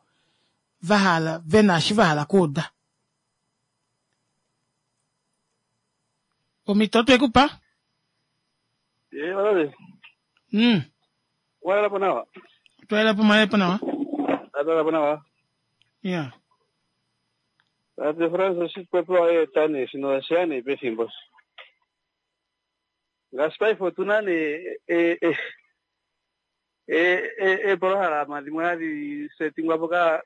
va hala ve na eshi va hala okuuda. Omhito otwe ku pa. Eh, olole. Walala po nawa. Twalala po mwalala po nawa. Atala po nawa. Ya. Tate Frans oshipopiwa eeta nee shino osheya nee pefimbo. Ngaashi paife otu na nee e- e- e- e- eepolohalama dhimwe hadhi setingwa po ka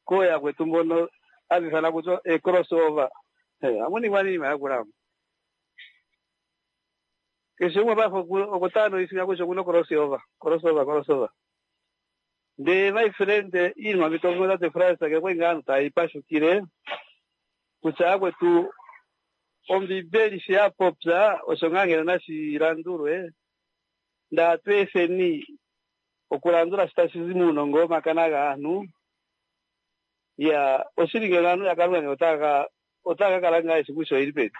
kooyakwetu mbono hadhi ithanwa kutya e-crossover. Eh, ohamu ningwa nee iinima yakula mo. Keshe umwe paife oku tala noisinga kutya okuna crossover, crossover, crossover. Ndele my friend, iinima mbi to tate Frans ngele okwali ngaa aantu taya ipashukile kutya yakwetu Ombibeli shi ya popya osho ngaa ngeno nashi landulwe, ndele atu efeni okulandula shi tashi zi muunongo womakana gaantu. Ya, oshili ngeno aantu yaKalunga ngeno otaya ka otaya ka kala ngaa yeshi kutya oyeli peni.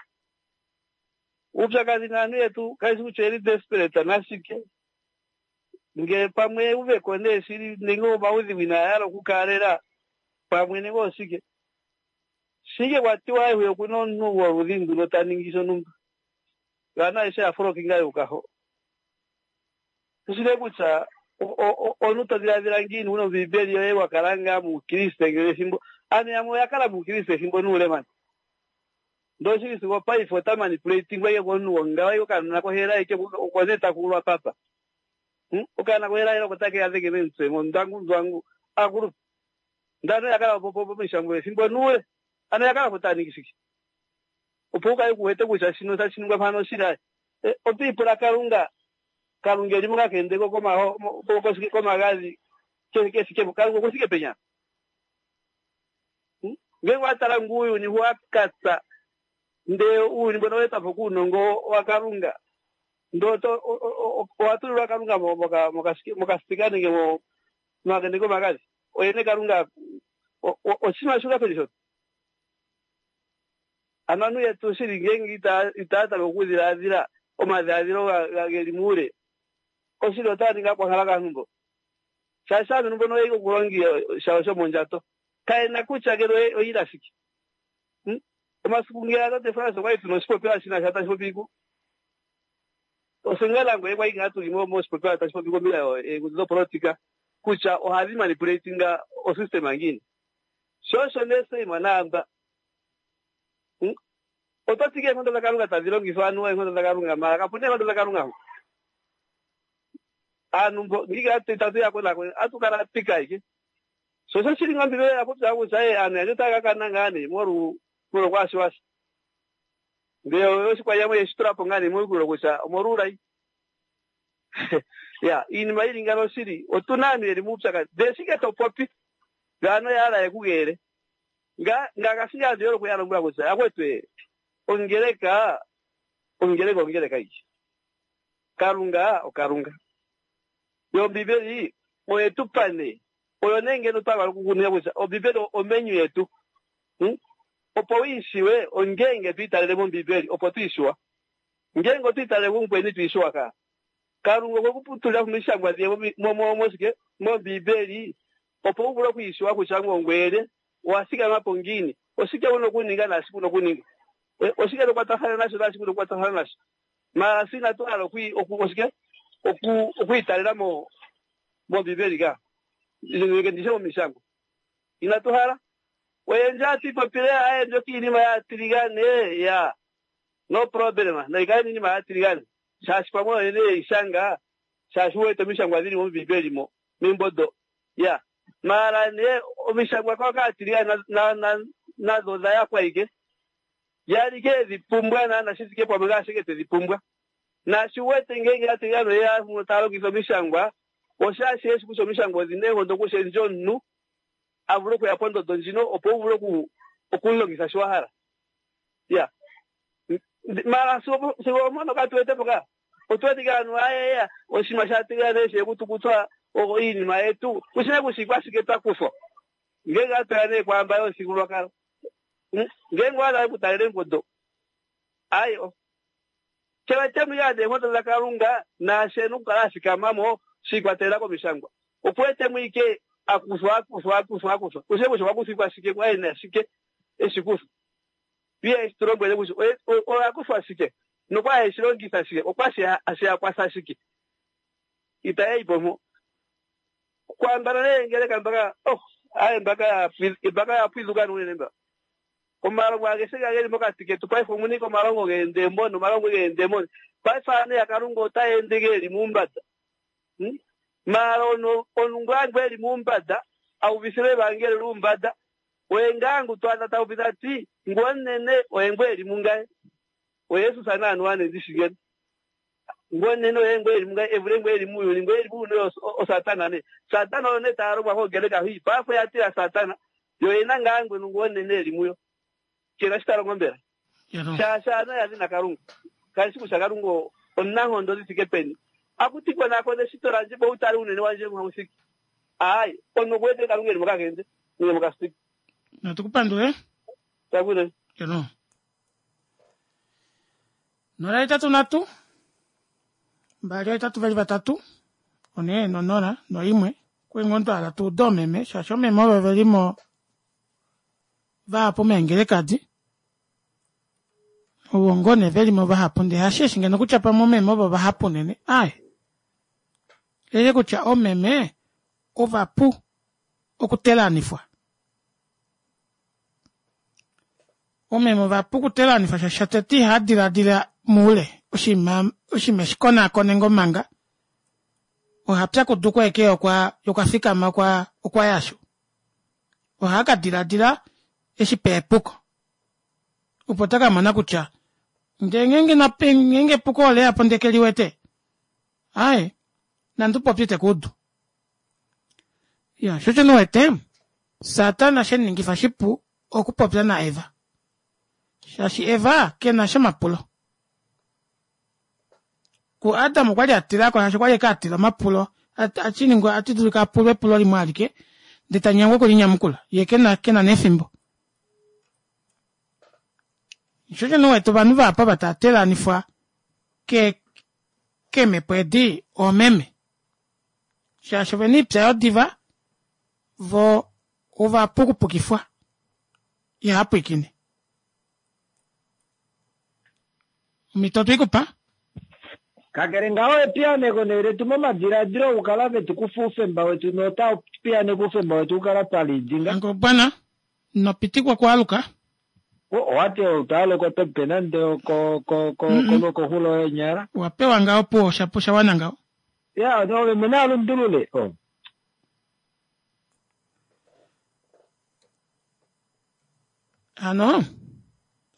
Uupyakadhi naantu yetu kaye shi kutya oyeli desperate nashike. Ngele pamwe euveko nee shili nenge omaudhigu inaaya hala okukaalela pamwe nenge oshike. Shike kwa tiwa ayehe okuna omuntu gwoludhi nduno ta ningi shontumba. Yo aantu ayehe ya folokinga yuuka ho. Kushi nee kutya omuntu to dhiladhila ngiini wuna ombiibeli yoye wa kala ngaa muukriste ngele ethimbo. Aantu yamwe oya kala muukriste ethimbo nuule mani. Ndele oshili sigo opaife ota manipulatingwa ike komuntu gongawo ike okanona kohela ike oko nee taku ulwa papa. Hum okanona kohela hela oko take ya dhenge momutse ngo ndwangu ndwangu akulupe. Ndele aantu oya kala pomishangwa ethimbo nuule. Ano oya kala po taya ningi shike? Opo wu kale ku wete kutya shino tashi ningwa mpano oshili aye. Oto ipula Kalunga, Kalunga eli mokakende ko komaho komagadhi ke thike po. Kalunga oku thike peni ano? Ngele owa tala ngu uuyuni wa katsa, ndele uuyuni mbono owa etwa po kuunongo waKalunga, ndele oto owa tulilwa Kalunga mokasipika nenge momakende komagadhi. Oye nee Kalunga oshinima shuka peni shono? Ano aantu yetu shili ngenge itaya tameke okudhiladhila omadhiladhilo geli muule, oshili otaya ningi aakwankala kaantu mbo. Shaashi aantu mbono oye okulonga shawo shomondjato. Kaye na kutya ngele oyi ila shike. Hmm? Omasiku ngeya tate Frans okwali tuna oshipopiwa shina sha tashi popi ku Osenga nangoye kwali ngaa tuli moshipopiwa tashi popi kombinga yeengudu dopolotika kutya ohadhi manipulatinga osystem ngiini. Sho osho nee same naamba. Hmm? Oto ti eenkondo dhaKalunga tadhi longithwa anuwa eenkondo dhaKalunga mara kapu na eenkondo dhaKalunga ho. Aantu mbo ngiika itatu ya konakona atu kala pika ike. Sho osho shili ngOmbiibeli oya popya kutya ee aantu yandje otaya ka kana ngaa nee molwu molwokwaashiwasha. Ndele oshikwanyama oye shi tula po ngaa nee momukalo kutya omolwuulayi. Ya, iinima yi li ngawo shili otu na aantu ye li muupyakadhi. Ndele shike to popi? Yo aantu oya hala ye ku geele. Nga ngaashi aantu ye hole okuya lombwela kutya yakwetu ee, ongeleka, ongeleka ongeleka ike. Kalunga oKalunga. Yo Ombiibeli oye tu pa nee Oyo nee ngeno twa hala okukuninga kutya Ombibeli omenyu yetu. Hmm? Opo u i shiwe, ongeenge to italele mOmbibeli, opo to i shiwa. Ngeenge oto italele kumukweni, ito i shiwa kaa. Kalunga okwe ku tulila po omishangwa diye mo, mo, moshike? MOmbibeli, opo u vule oku i shiwa kutya ngoye ongweye lye, owa thikama po ngiini, oshike u na okuninga naashike u na okuninga. Eh, oshike to kwatathana nasho naashike u na okukwatathana nasho. Mara fye inatu hala oku, oku, oshike? Oku, oku italela mo, mOmbibeli ka. Nenge ndishe mOmishangwa. Inatu hala. Oyendji ohatu ipopile, aye, mbyoka iinima yaatiligane, ya. No problem. Nayi kale iinima yaatiligane. Shaashi pamwe oyo yene yeyi shanga, shaashi u wete omishangwa dhili mOmbibeli mo, membo do. Ya. Maala nee, omishangwa kwa kaatiligane na, na, na, nadho odha yakwa ike. Ya li ke dhi pumbwa naana shi thike pamwe ngaashi ke twe dhi pumbwa. Naashi wu wete ngeenge aatiligane oye ya taya longitha omishangwa, Oshaashi eshi kutya omishangwa odhi na eenkondo okushendja omunhu a vule okuya pondodo ndjino opo u vule oku okumulongitha shi wa hala. Ya. Mara sigo sigo oompono katu wete po ka. Otu wete ike aantu ayeya oshinima sha tiligane she ku tu kuthwa iinima yetu. Kushi nee kutya ikwashike twa kuthwa. Ngenge atu ya nee kwaamba yomuthigululwakalo. Ngenge owa hala oku talela embondo. Ayi o. Ke wete mo ike eenkondo dhaKalunga naashi e na okukala a thikama mo shi ikwatelela komishangwa. Oku wete mo ike a kuthwa a kuthwa a kuthwa a kuthwa. Kushi nee kutya okwa kuthwa ikwashike kwa e na shike e shi kuthwa. Ye eshi tu lombwele kutya oye oya kuthwa shike nokwa e shi longitha shike, okwa she ya kwatha shike. Itaya yi po mpo. Kwaambano nee ngeleka mbaka, oh, aye mbaka ya mbaka ya pwidhuka unene mba. Omalongo ageshe nga geli mokati ketu paife omuna ike omalongo geendemoni, omalongo geendemoni. Paife aantu yaKalunga otaya ende geli muumbanda. Hmm? Maala ono omuntu ngaa ngu eli muumbanda, a uvithilwe evangeli luumbanda, oye ngaa ngu to adha ta uvitha ti, ngu omunene oye ngu eli mungaye. Oye Jesus naantu ane ndi shi ngeno. Ngu omunene oye ngu eli mungaye e vule ngu eli muuyuni. Ngu eli muuyuni oye oSatana nee. Satana oyo nee taya longwa kongeleka hwi. Paife oya tila Satana. Yo oye na ngaa ngwenu ngu omunene eli muyo. Ke na shi ta longo mbela? Shaashi aantu oya dhina Kalunga. Kaye shi kutya Kalunga omunankondo dhi thike peni. Akuti konakona eshito landje po wu tale uunene wandje mpa wu thike. Aai, omuntu oku wete Kalunga e li mokakende nenge mokasipili. Natu ku pandule. Takule. Eno. 0 8 3 2 8 2 3 4 no0 no1 kuingo hala tu ude oomeme shaashi oomeme ovo ve li mo vahapu meengelekadi ovo ngoo nee ve li mo vahapu ndee hasheshi ngeno kutya pamwe oomeme ovo vahapu unene aaye lele kutya oomeme ovapu okutelanifwa Omeme ovapu okutelanifwa shaashi shatete ihava diladila moule oshinima oshinima eshi konaakone ngoo manga oha pyakudukwa eke okwa okwa fikama okwa okwa yasho ohaa ka diladila eshi pe epuko opo ta ka mona kutya ndee ngeenge nape ngeenge epuko ole ya po ndee ke liwete aaye nande upopye ite kuudu ya sho osho nuwete Satana she ningifa shipu okupopya naEva shaashi Eva ke na sha omapulo. KuAdam okwa li a tila ko shaashi okwa li eke a tila omapulo a ningwa ati dulika a pulwe epulo limwe alike ndele ta nyengwa oku li nyamukula ye ke na ke na nefimbo. Sho osho nuwete ovanhu vahapu ava tava telanifwa ke keemhepo edi oomeme shaashi ovena oipya yodiva vo ova pukupukifwa ihava pwiikine. Omhito otwe i ku pa. Kakele ngaho epiyaaneko nee letu momadiladilo okukala ve tu kufa oufemba wetu notau piyaaneke oufemba wetu okukala twa lidinga. Ngobwana, ino pitikwa okualuka. Owati outaaluka oto pe nande koxulo yeenyala. Owa pewa ngaho opuwo osha wana ngaho. Ya, ove mwene a lundulule. Oh. Hano,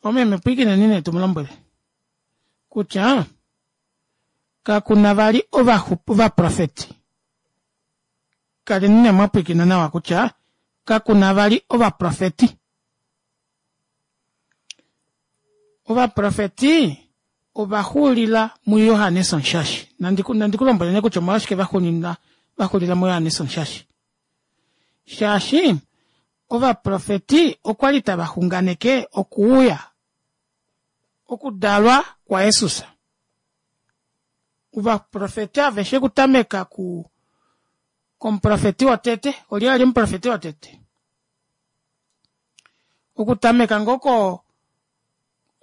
omeme pwiikineni nee tu mu lombwele kutya kaku na vali ovaprofeti. Kaleni nee mwa pwiikina nawa kutya kaku na vali ovaprofeti. Ovaprofeti ova xuulila muJohannes Omushashi. Nandi ku lombwele nee kutya omolwashike va xulila muJohannes Omushashi. Shaashi ovaprofeti okwa li tava xunganeke okuuya, okudalwa kwaJesus. Ovaprofeti aveshe okutameka ku komuprofeti wotete, olye a li omuprofeti wotete? Okutameka ngoo ko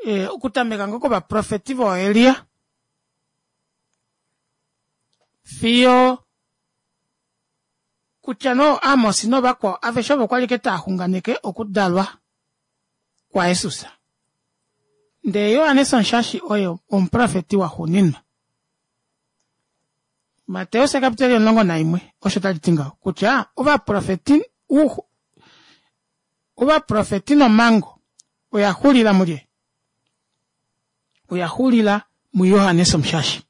eh, okutameka ngoo kovaprofeti vooElia fiyo kutya no Amos novakwao aveshe ovo kwa li ke taa xunganeke okudalwa kwaJesus. Ndele Johannes Omushashi oye omuprofeti waxuuninwa. Mateus ekapiteli 11 osho tali ti ngaho kutya ovaprofeti ovaprofeti nomhango oya xulila mulye? Oya xulila muJohannes Omushashi.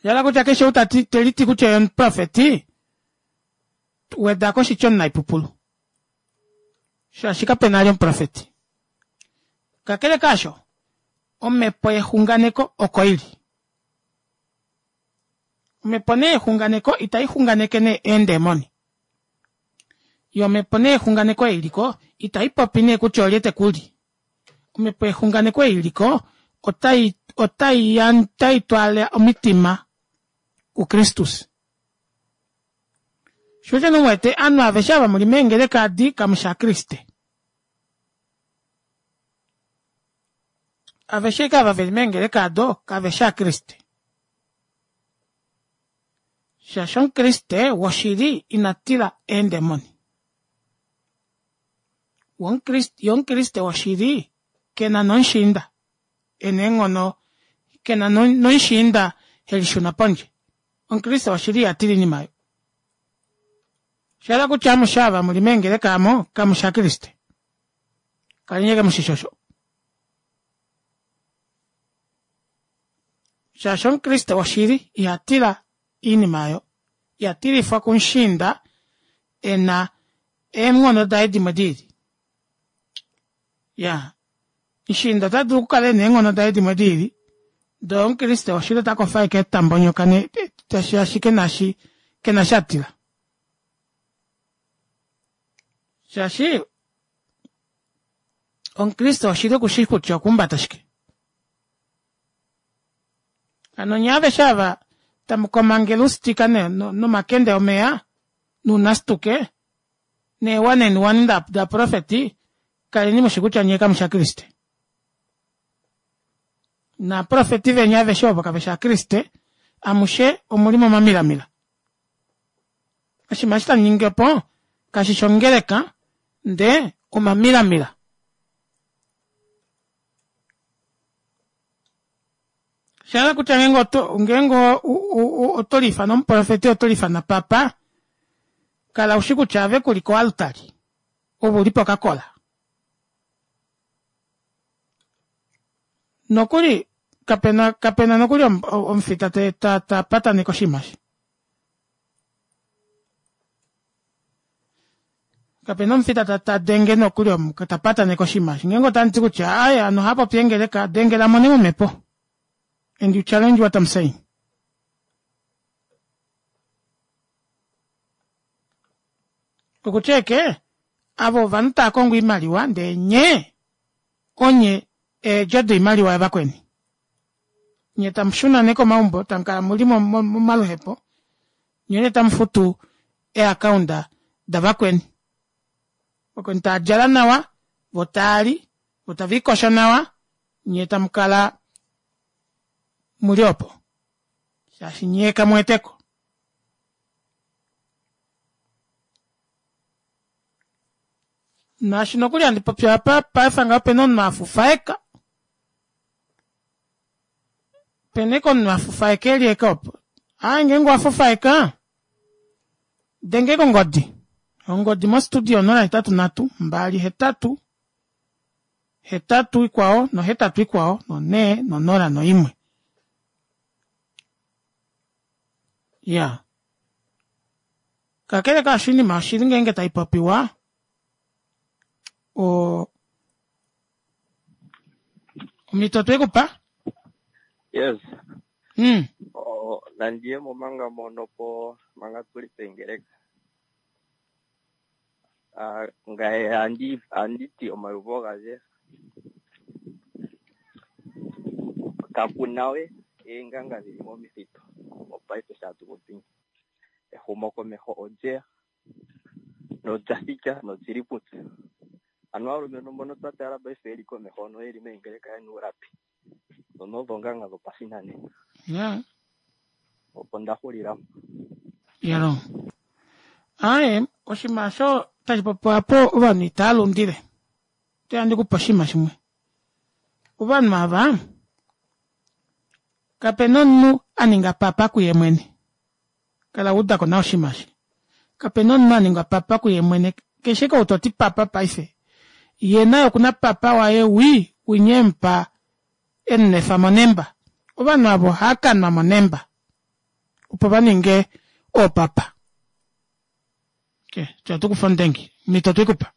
Yala kutya keshe ou tati te liti kutya ye omuprofeti, weda ko oshitya omunaipupulu. Shaashi kape na ali omuprofeti. Kakele kaasho, omhepo yexunganeko oko i li. Omhepo nee yexunganeko itai xunganeke nee eendemoni. Yo omhepo nee yexunganeko ei liko itai popi nee kutya olye te ku li. Omhepo yexunganeko ei liko otai otai otai twala omitima kuKristus. Sho osho nee wete ovanhu aveshe ava muli meengeleka adi kamu shi Aakriste. Aveshe ava veli meengeleka ado kave shi Aakriste. Shaashi Omukriste woshili ina tila eendemoni. Ye Omukriste woshili ke na nomushiinda e na eenghono, ke na nomushiinda he lishuna pondje. Omukriste woshili iha tila oinima oyo. Osha yela kutya amushe ava mu li meengeleka amo kamu shi Aakriste. Kaleni ashike mu shi shi osho. Shaashi Omukriste woshili iha tila iinima oyo. Iha tilifwa kumushiinda e na eenghono daye dimwe di lili. Ya, mushiinda ota dulu okukala e na eenghono daye dimwe di lili, ndele Omukriste woshili ota kofa ashike ta mbonyoka shaashi ke na shi ke na sha tila. Shaashi Omukriste woshili oku shii kutya okuhumbata shike. Hano nye aveshe ava tamu komangele oustika nomakende omeya nuunastuke neewane enuwane daprofeti, kaleni mushi kutya nye kamu shi Aakriste. Naaprofeti veni aveshe ovo kave shi Aakriste, amushe omuli momamilamila. Oshinima eshi tamu ningi opo kashi shi ongeleka, ndee omamilamila. Osha hala kutya ngeenge oto ngeenge oto liifana omuprofeti oto liifana papa, kala ushi kutya ave ku li koaltari, ove u li pokakola. Nokuli kapena kapena nokuli omufita ta ta ta pataneke oshinima eshi. Kapena omufita ta ta denge nokuli ta pataneke oshinima eshi. Ngeenge otamu ti kutya aaye ovanhu ohava popi eengeleka, dengela mo nee momhepo. And you challenge what I'm saying. Okutya eke avo ovanhu tava kongo oimaliwa ndee nye onye eedjo doimaliwa yavakweni. Nye tamu shuna nee komaumbo tamu kala muli momaluhepo nye nee tamu futu eeakaunda davakweni. Vakweni tava djala nawa vo tava li vo tave likosho nawa nye tamu kala muli opo shaashi nye kamu weteko. Naashi nokuli handi popi apa paife ngaho opena omunhu a fufaeka pena eke omunhu a fufaeka eli eke opo aa ngeenge owa fufaeka denge kongodi ongodi mostudio 083 2 8 ikwao nohetatu ikwao nonhee nonola noimwe ya kakele kaasho oinima yoshili ngeenge tai popiwa o omhito twe ku pa Yes. Oh, nandi ye mo manga mono po manga tu li pengeleka. Ah, ngaye andi andi ti omayuvo gandje kaku na we eenganga dhili momithitu mopaife sho tatu popi ehumokomeho olyeya nolya thika nolyili putse. Ano aalumentu mbono twa tala paife yeli komeho noyeli meengeleka yena uulapi ndhono odho oonganga dhopashinanena. Yeah. Opo nda hulila mpo. Yalo. Aaye, oshinima osho tashi popiwa po ovanhu itava lundile. Ote ndi kupe oshinima shimwe. Ovanhu ava kape na omunhu a ninga papa kuye mwene. Kala wa udako nawa oshinima eshi. Kape na omunhu a ningwa papa kuye mwene. Keshe kou to ti papa paife, ye naye oku na papa waye wii winya e mu pa e mu nwefa monemba. Ovanhu ava ohava ka nwa monemba. opo va ninge oopapa. Okay, tya tukufa omudengi. Mito twikupa.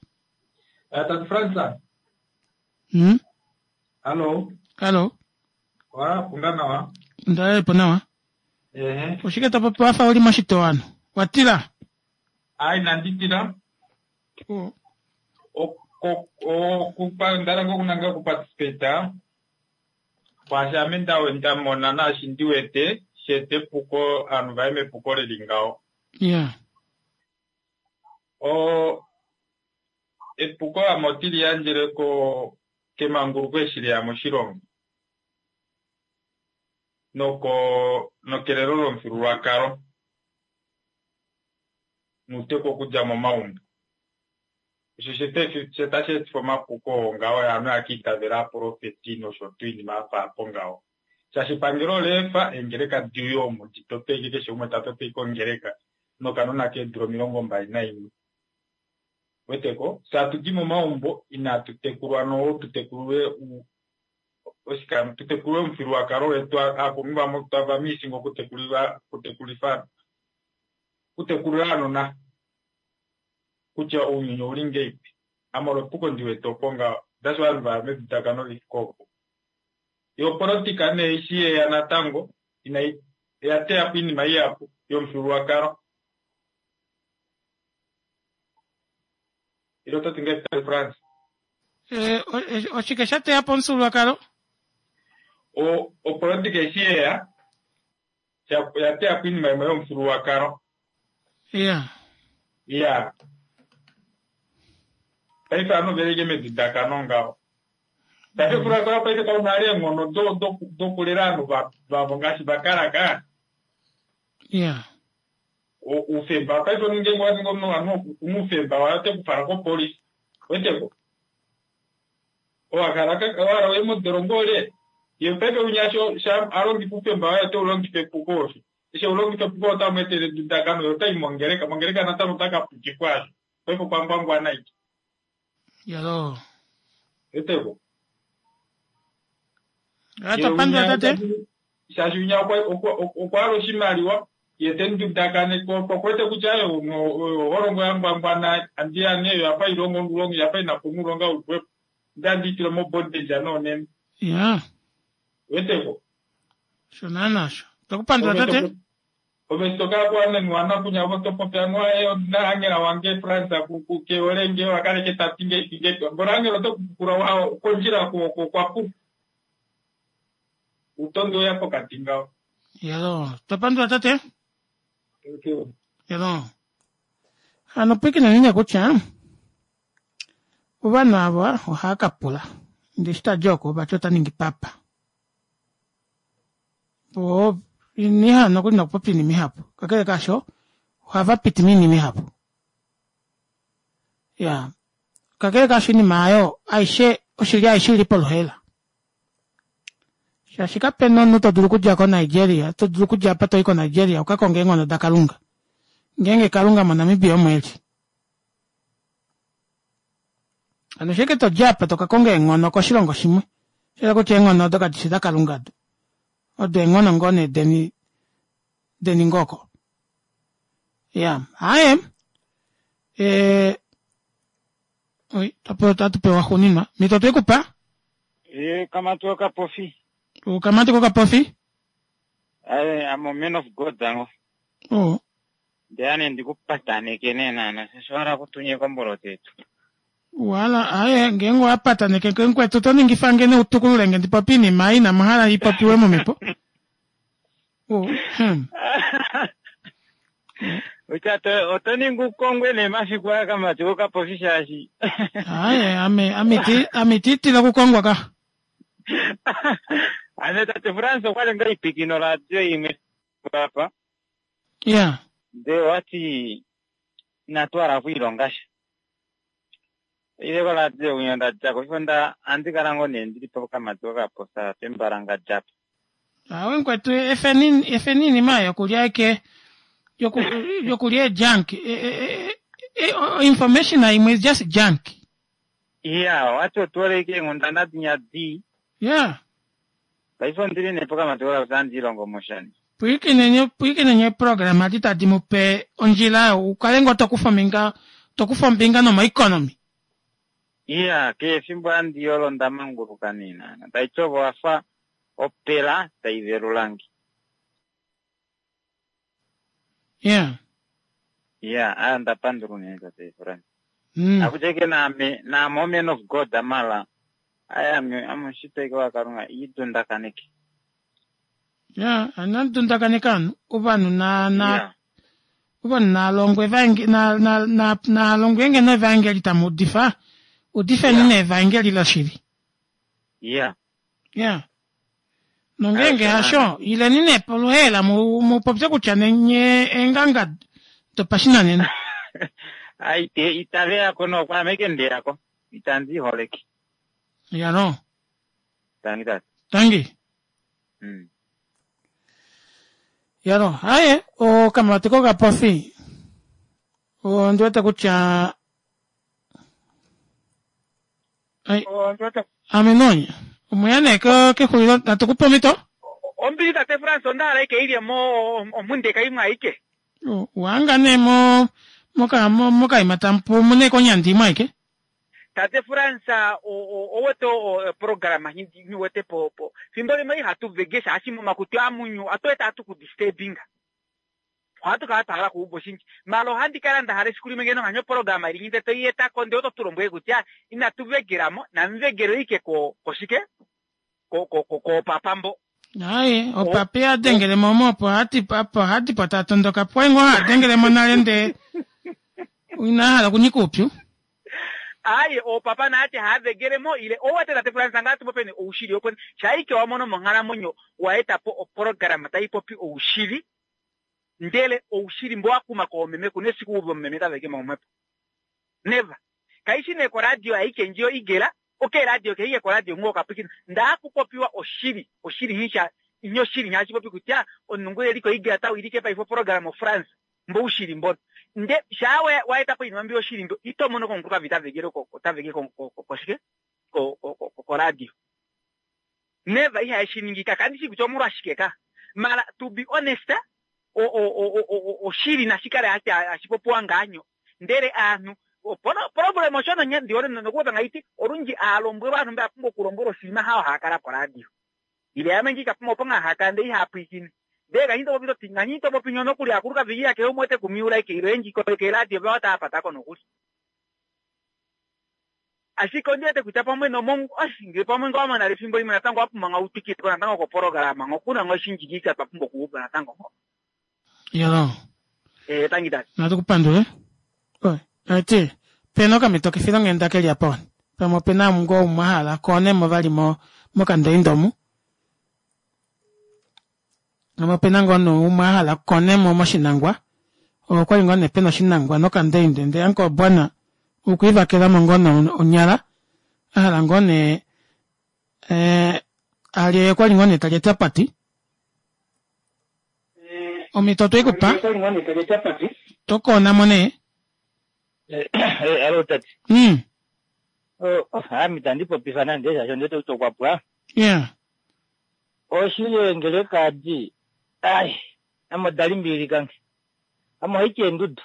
Eh, Tati Fransa. Hallo. Hallo. Wa, punga nawa. Ndalepo nawa. Ehe. Oshike to popi wafa uli moshitowano? Watila? Ai, inandi tila. Okupa ndala ngoo kunanga okuparticipate kwaashi ame nda nda mona naashi ndi wete sheeta epuko ovanhu vaye mepuko lili ngaho. Yeah. O epuko ame otili yandjele ko kemanguluko eshi leya moshilongo noko nokelelo lomufyuululwakalo nuuteku okudja momaumbo. Osho she tashi etifa omapuko oo ngaho ovanhu haka itavela aaprofeti nosho tuu oinima yafa apo ngaho. Shaashi epangelo ola efa eengeleka diuye omu ditote ashike keshe umwe ta toto ashike ongeleka nokanona keedula 21. Weteko? Fye hatudi momaumbo inatu tekulwa noho tu tekulilwe oshika tu tekulilwe omufyuululwakalo wetu aakulunhu vamwe tava misinga okutekulila okutekulifa okutekulila aanona kutya ounyuni ouli ngeipi. Ame olo epuko ndi wete opo ngaho. That's why ovanhu vaya medudakano lifike opo. Yo opolitika nee eshi yeya natango inai oya teya po oinima ihapu yomufyuululwakalo. Ile oto ti ngahelipi Tate Frans? Eh, oshike sha teya po omufyuululwakalo? O opolitika eshi yeya oya teya po oinima imwe yomufyuululwakalo. Yeah. Yeah. Paife ovanhu oveli ashike medudakano ngaho. Shaashi omufyuululwakalo paife kau na eenghono dokulela ovanhu vavo ngaashi va kala ka. Yeah. Oufemba paife omunhu ngeenge owa ningi omunhu ovanhu okuna oufemba waye ote ku twala kopolifi. Weteko? Owa hala owa hala uye modolongo ole? Ye paife winya sho a longifa oufemba waye ote u longifa epuko osho. Eshi eu longifa epuko otamu etele edudakano ye otai mongeleka. Mongeleka natango ota ka pukifwa asho. Paife okwa ngwangwana aike. Yalo. Weteko? Ata pandula tate. Shaashi winya okwa hala oshimaliwa ye te mu dudakane ko okuwete kutya oyo oholongo ya ngwangwana andi ya nee oyo yafa ilonga omulongo yafa ina po omulonga uli xwepo nde andi itula mo bondage noonene. Ya. Weteko? Osho naana osho. Twakupandula tate. Ove eshi to kala kuwanenwa nakunya vo to popi anuwa ee ondina Angela wange Frans ke hole nge oha kala eke ta ti ngeipi ngeipi mboli Angela ote ku pukula wa kondjila okwa puka utondi oya pokati ngaho. Yalo, twa pandula tate. Thank you. Yalo. Hano pwikineni nee kutya ovanhu ava ohava ka pula ndee eshi tadi oko vati ota ningi papa. Po iniha nokuli nokupopya oinima ihapu. Kakele kaasho ohava piti moinima ihapu. Ya. Kakele kaasho oinima aayo aishe oshili aishe ili poluhaela. Shaashi kape na omunhu to dulu okudja koNigeria, to dulu okudja apa to i koNigeria u ka konge eenghono daKalunga. Ngeenge Kalunga moNamibia omo e li. Hano sheke to dja apa to ka konga eenghono koshilongo shimwe. Shela kutya eenghono odo kadi fi daKalunga do. Odo eenghono ngoo nee deni deni ngoo ko. Ya, aaye. Eh, oi, otatu pewa xuuninwa. Mito twe ku pa? Eh, kamati okapofi. Okamati kokapofi? Aye, I'm a man of God ango. Oh. Ndeya nee ndikupataneke nee naana shaashi owa hala okutunyeka omboloto yetu. Wala, aye, ngeenge owa pataneke nge mukwetu oto ningifa nge nee utukulule nge ndi popye iinima ei inamu hala i popiwe momhepo. Oh, hmm. Kutya to- oto ningi ukongwe nee mafiku aya kamati kokapofi shaashi Aye, ame, ame iti, ame iti tila okukongwa ka. Ame tate Frans okwa li ngaa ipikino radio imwe apa. Ya. Ndee owati inatu hala okwiilonga sha. Ile koradio winya nda dja ko, onda andi kala ngoo nee ndili pokamati kokaposa pembalangadja apa. Awe mukwetu efeni efeni iinima yokulya eke yoku yokulya junk e, e, e, e, information imwe is just junk. Iya, owati otu hole ike eenghundana dinya dii. Yeah. Paife ondili nee pokamati kokaposa andi ilongo moshani. Pwiikineni pwiikineni eeprograma adi tadi mu pe ondjila ukale ngoo tokufa ombinga tokufa ombinga nomoeconomy. Iya, keshe efimbo handi yolo onda manguluka nee naana. Taiti ove owafa opela tai velulange. Yeah. Iya, aa onda pandula unene tate Frans. Akutya ike naame, naame o man of God mala. Aye ame, ame omushitwa ike waKalunga iidundakaneke. Ya, anadundakaneka ovanhu, ovanhu na na yeah. ovanhu nalongwe evaengeli na na na nalongwe ngeno evaengeli tamu udifa, udifeni yeah. nevaengeli loshili. Yeah. Yeah. Nongeenge hasho, ileni nee poluheela mu mu popye kutya nenye eenganga dopashinanena. Ai te itave yako nokwaame ike ndeyako. Itandi holeke. Yalo. Tangi tata. Tangi. Yalo, haye okamati kokapofi. Ondi wete kutya Ai. Ame nonya. Omweya nee kexulilo natu ku pe omhito. Ombili tate Frans onda hala ike ilye mo omundeka imwe aike. Wanga nee mo moka mokaima tamu pu mune konyandi imwe aike. Tate Frans owete oprograma nhi wete po po fimbo limwe ihatu vege shaashi momakutu amunyu atu wete atu ku disturbinga. Ohatu kala twa hala kuuva oshindji. Mala ohandi kala nda hala esiku limwe ngeno nganye oprograma ili nyinde toi eta ko ndee oto tu lombwele kutya inatu vegelamo namuvegele ike ko koshike ko ko ko koopapa mbo. Aye, opapi a dengele mo omo opo hati opo hadi po ta tondoka pwai ngoo ha dengele mo nale ndee ina hala okunyika oupyu. Aye, oopapa naati haa vegele mo ile owete tate Frans ngaa tu popeni oushili opo shaike wa mono monghalamwenyo wa eta po oprograma tai popi oushili ndele oushili mbo wa kuma koomeme kuna esiku uve omumeme ta vege mo omhepo. Never. Kaishi nee koradio aike ndjiyo igela, okay radio keike koradio ngoo kapwikina. Ndaa kupopiwa oshili, oshili nhisha nyo oshili nhashi popi kutya omunhu ngu eli koigela ta wilike paife oprograma oFrance mbo oushili mbono. Nde shaa wa wa eta po oinima mbi yoshili mbo ito mono komukulukadi ta vegele ko ta vege ko ko koshike ko ko ko koradio. Never ihaye shi ningi ka kandi shi kutya omolwashike ka. Mara to be honest o o o o oshili nashi kale hashi popiwa ngaanyo. Ndele aanhu problem osho nonye ndi hole nokupopya ngaiti olundji aalombwelwa aanhu mba ya pumbwa okulombwelwa oshinima hao haya kala koradio. Ile yamwe ngiika pamwe opo ngaa haya kala ndele ihaya pwiikine. Ndele nganyi to popi toti nganyi to popi nyo nokuli aakulukadhi iya kehe umwe ote ku miula ike ile oyendji keeradio vawo taya pata ko nokuli. Ashike ondi wete kutya pamwe nomong osh ngele pamwe nga wa mana efimbo limwe natango wa pumbwa nga u twikile ko natango kopolograma ngo kuna ngo oshindji ngiika twa pumbwa okuuva natango ngo. Yalo. Eh, tangi tati. Natu ku pandule. Oi, ati pena okamhito kefilonghenda keli apa wani. Pamwe opena ngoo umwe a hala koonemo vali mo mokandoindo omu. Pamwe opena ngoo nee umwe a hala konemo moshinangwa. Okwali ngoo nee pena oshinangwa nokandoindo ndee uncle Bwana okwiivakelamo ngoo nee onyala a hala ngoo nee eh, alye okwali ngoo nee talye chapati. Omhito otwe i ku pa. To koona mo nee. Alo tate. Ame itandi popifa nande shaashi ondi wete kutya okwa pwa. Yeah. Oshili eengeleka adi ai ame oda limbililikange. Ame ohaiti eendudu.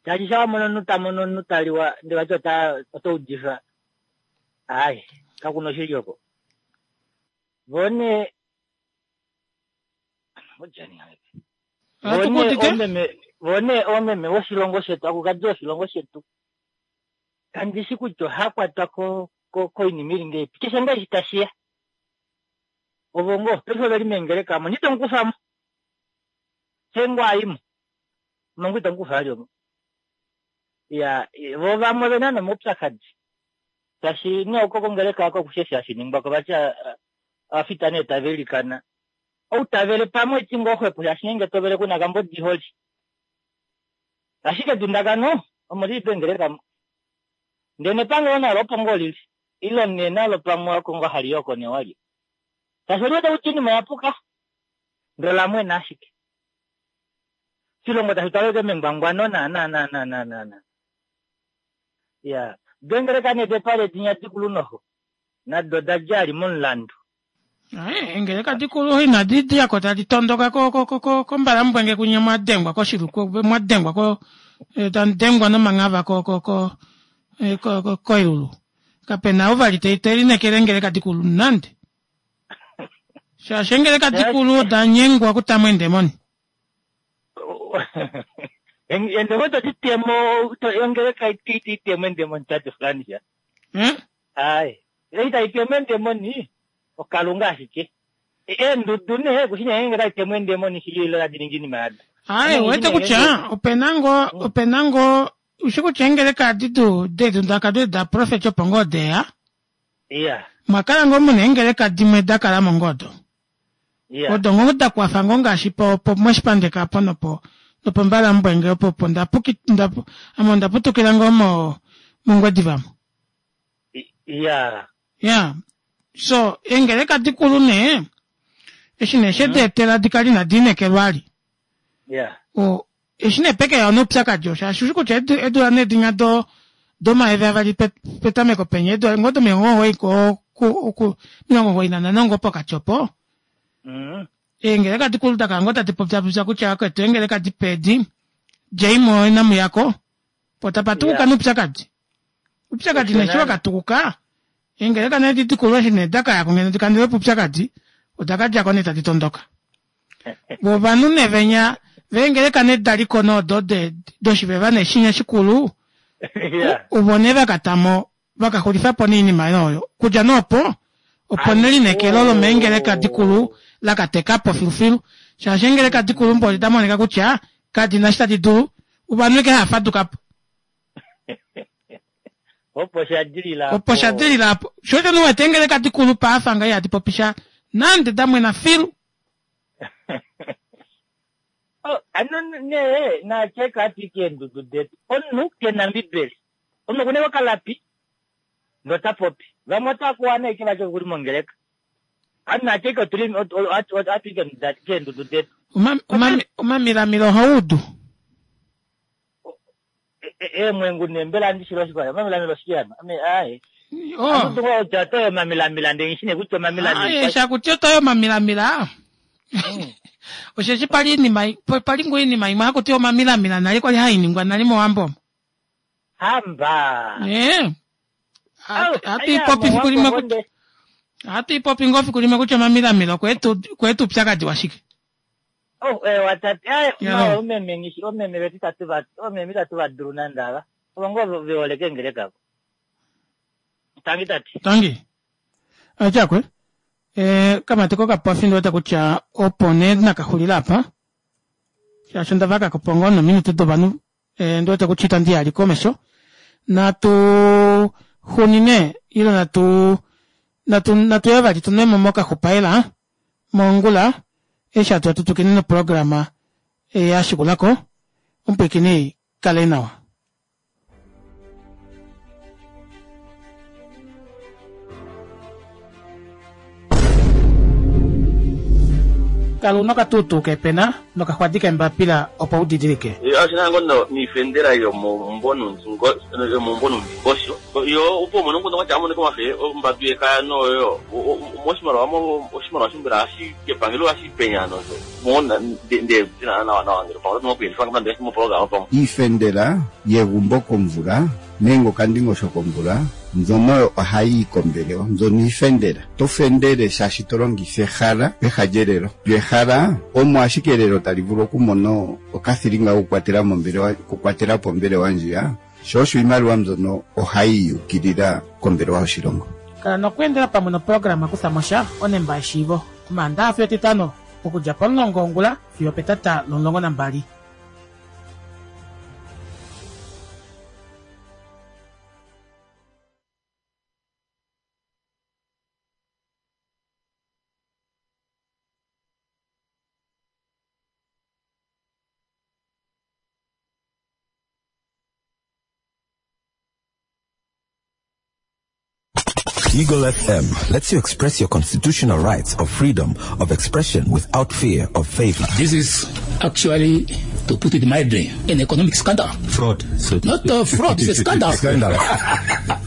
Shaashi sha wa mona omunhu ta mono omunhu ta liwa ndele vati ota ota udifa ai kakuna oshili oko. Vo nee Ohatu ku udite? Vo nee oomeme voshilongo shetu, akulukadi voshilongo shetu, kandi shi kutya oha kwatwa koinima ili ngeipi. Keshe ngaa eshi tashi ya. Ovo ngoo, paife ove li meengeleka omo, nite mu kufa mo. Xe ngoo a i mo. Omo ngoo itamu kufa vali omo. Ya, vo vamwe ove na nomaupyakadi. Shaashi nee oko kongeleka oko okushe eshi hashi ningwa ko vati ovafita nee tava ilikana. Ou ta vele pamwe eti ngoo xwepo shaashi ngeenge to vele kuna kambodi holi. Ashike edundakano omo lili peengeleka mo. Ndee nepangelo nalo opo ngoo lili. Ile nee nalo pamwe oko ngoo hali i oko nee walye. Shaashi oli wete kutya oinima oya puka. Ndele ola mwena ashike. Oshilongo tashi twala ashike mengwangwano naana naana naana naana. Ya, deengeleka nee depale dinya dikulu noho nado oda dja ali momulandu. Aye, engeleka dikulu inadi diyako tadi tondoka kombalambwenge kunye mwadengwa koshiluku mwadengwa ko eh, tamudengwa nomanghava ko ko ko eh, ko ko koilulu kapena ou vali te linekele engeleka dikulu nande shaashi engeleka dikulu oda nyengwa okutamo eendemoni Endemoni todi temo ongeleka iti temo endemoni tate Francia. Eh? Ai. Ita temo endemoni okalunga ashike. Eendudu nee kushina ngenge tadi temo endemoni shili ilo tadi ningi inima yado. Aye, uwete kutya opena ngoo opena ngoo ushi kutya eengeleka adi du dedu daka da prophet opo ngoo deya Iya. mwakala ngoo muna eengeleka dimwe da kalamo ngoo odo Iya. odo ngoo da kwafa ngoo ngaashi po po moshipandeka apo nopo nopombalambwenge opo opo ndapuki ndapu ame onda putukila ngoo mo mongwediva mo Iya. ya so eengeleka dikulu nee eshi nee shedeetela dikali inadi inekelwa ali Iya. o eshi nee peke yawo noupyakadi osho shaashi ushi kutya eedula nee dinya do domayovi avali petameko penya eedula ngoo domilongo omugoyi ko 95 ngoo pokati opo eengeleka dikulu dakala ngoo tadi popyapopya kutya akwetu eengeleka dipe edi djeimo inamuyako po tapa tukuka noupyakadi upyakadi nee eshi wakatukuka eengeleka nee edi dikulu eshi nee dakayako ngeno dikandulepo oupyakadi odakadjako nee tadi tondoka vo ovanhu nee venya veengeleka nee daliko noodo doshiveva nee shinya shikulu uvo nee vakatamo vakaxulifapo nee oinima oyo kudja nee opo opo nelineekelo lomeengeleka dikulu lakatekapo filufilu shaashi eengeleka dikulu mboli damonika kutya kadina eshi tadi dulu ovanhu eke haafadukapo Opo sha dilila opo sha dilila apo sho osho nuwete eengeleka dikulu paafa nga ihadi popisha nande damwena filu Oh, ano nee naacheka ati keendudu detu omunhu kena mbibeli omunhu okuna okalapi nota popi vamwe otakuwana eke vati okuli mongeleka anu naacheka otuli atu keendudu detu omamilamila ohaudu eemwengu nee mbela andishilo oshikwa omamilamila oshike ano ame aye Oh. anu kutya otoyo omamilamila ndee nghishi nee kutya omamilamila Aye, shakuti otoyo omamilamila osheshi pali inima pali ngoo inima imwe hakuti omamilamila nale kwali hainingwa nale mowambo omo hamba ee hatu ipopi fiku limwe kutya hatu ipopi ngoo fiku limwe kutya omamilamila okweeta upyakadi washike Oh, ewa tate aye Ya. mawe omeme ngishi omeme vetu itatu va omeme itatu va dulu nande ava ovo ngoo ve hole kengeleka avo tangi tate tangi atyakwe e, kamati kokapofi ndiwete kutya opo nee nakaxulila apa shaashi onda vakakopo ngoo nominute dovanhu e, ndiwete kutya itandi yali komesho natu xunine ile natu natu natuye vali tunwemo mokaxupaela mongula eshi hatu tutukine noprograma yashikulako omupwiikini kale nawa kala una okatuutuu kepena nokaxwadi kembapila opo udidilike oshina ngoo niifendela yomomumbo nomundingosho yo opo umone omukundu kwatya amoneka omafe ombadu yekaya noyo moshimaliwa oshimaliwa shimbela kepangelo ohashi penya nosho mona nde nawa nawa ngele pamwe otu okuyelifa nande moprograma pamwe Iifendela yegumbo komvula nenge okandingosho komvula mbyono ohayi yi kombelewa mbyono iifendela to fendele shaashi to longitha ehala peha lyelelo lyo ehala omo ashike elelo tali vulu okumona okathilinga kokukwatela mombelewa okukwatela po ombelewa ndjiya sho osho iimaliwa mbyono ohayi yukilila kombelewa yoshilongo kala nokweendela pamwe noprograma kuthamosha onemba yeshiivo omaandaxa fiyo etitano okudja pomulongo wongula fiyo petata lomulongo nambali Eagle FM lets you express your constitutional rights of freedom of expression without fear of favor. This is actually, to put it mildly, an economic scandal. Fraud. So Not a fraud, it's a scandal. Scandal.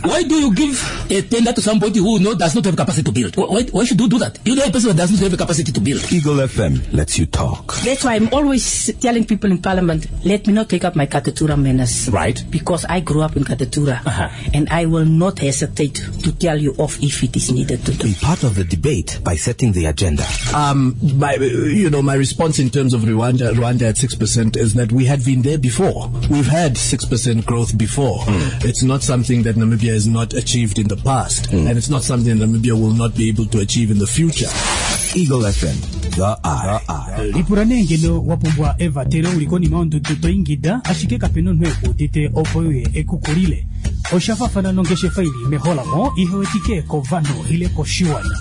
Why do you give a tender to somebody who no, does not have capacity to build? Why, why should you do that? You know a person that does not have the capacity to build. Eagle FM lets you talk. That's why I'm always telling people in parliament, let me not take up my Katutura manners. Right. Because I grew up in Katutura. And I will not hesitate to tell you off if it is needed to do. Be part of the debate by setting the agenda. Um, my, you know, my response in terms of Rwanda, Rwanda at 6% is that we had been there before. We've had 6% growth before. Mm. It's not something that Namibia has not achieved in the past. And it's not something that Namibia will not be able to achieve in the future. Eagle FM, the eye. Lipula nee ngeno wa pumbwa evatelo uli konima yondudu to ingida ashike kape na omunhu ekuudite opo uye ekukulile. Osha fafana nongeshefa ili meholamo ihe wetike kovanhu ile koshiwana.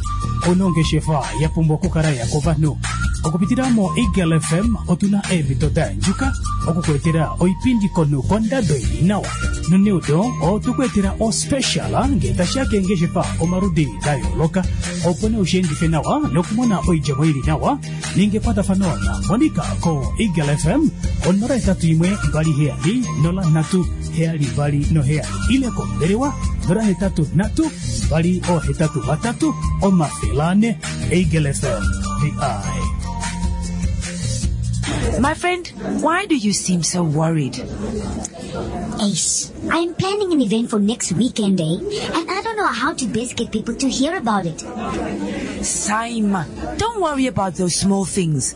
Ouna ongeshefa ya pumbwa okukala ya kovanhu. Okupitila mo Eagle FM otuna eemhito da yandjuka okukuetela oipindi komunhu kondado ili nawa. Noneudo otukuetela ospecial ngee tashiya keengeshefa omaludi da yooloka opo nee usheendife nawa nokumona oidjemo ili nawa ninga ekwatafano na Monica ko Eagle FM 081 27 03 72 7 ile kombelewa 083 283 400 Eagle FM the eye. My friend, why do you seem so worried? Ace, I'm planning an event for next weekend, eh? And I don't know how to best get people to hear about it. Saima, don't worry about those small things.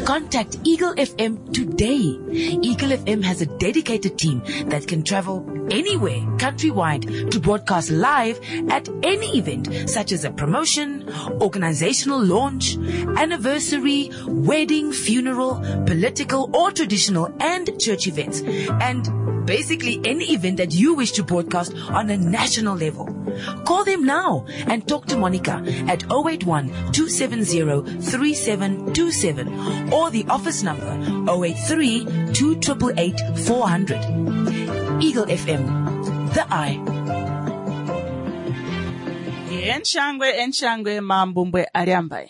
Contact Eagle FM today. Eagle FM has a dedicated team that can travel anywhere countrywide to broadcast live at any event such as a promotion, organizational launch, anniversary, wedding, funeral, political or traditional and church events. And basically any event that you wish to broadcast on a national level. Call them now and talk to Monica at 081 270 3727 or the office number 083 2888 400. Eagle FM, the eye. Enshangwe, enshangwe, mambumbwe alyambai.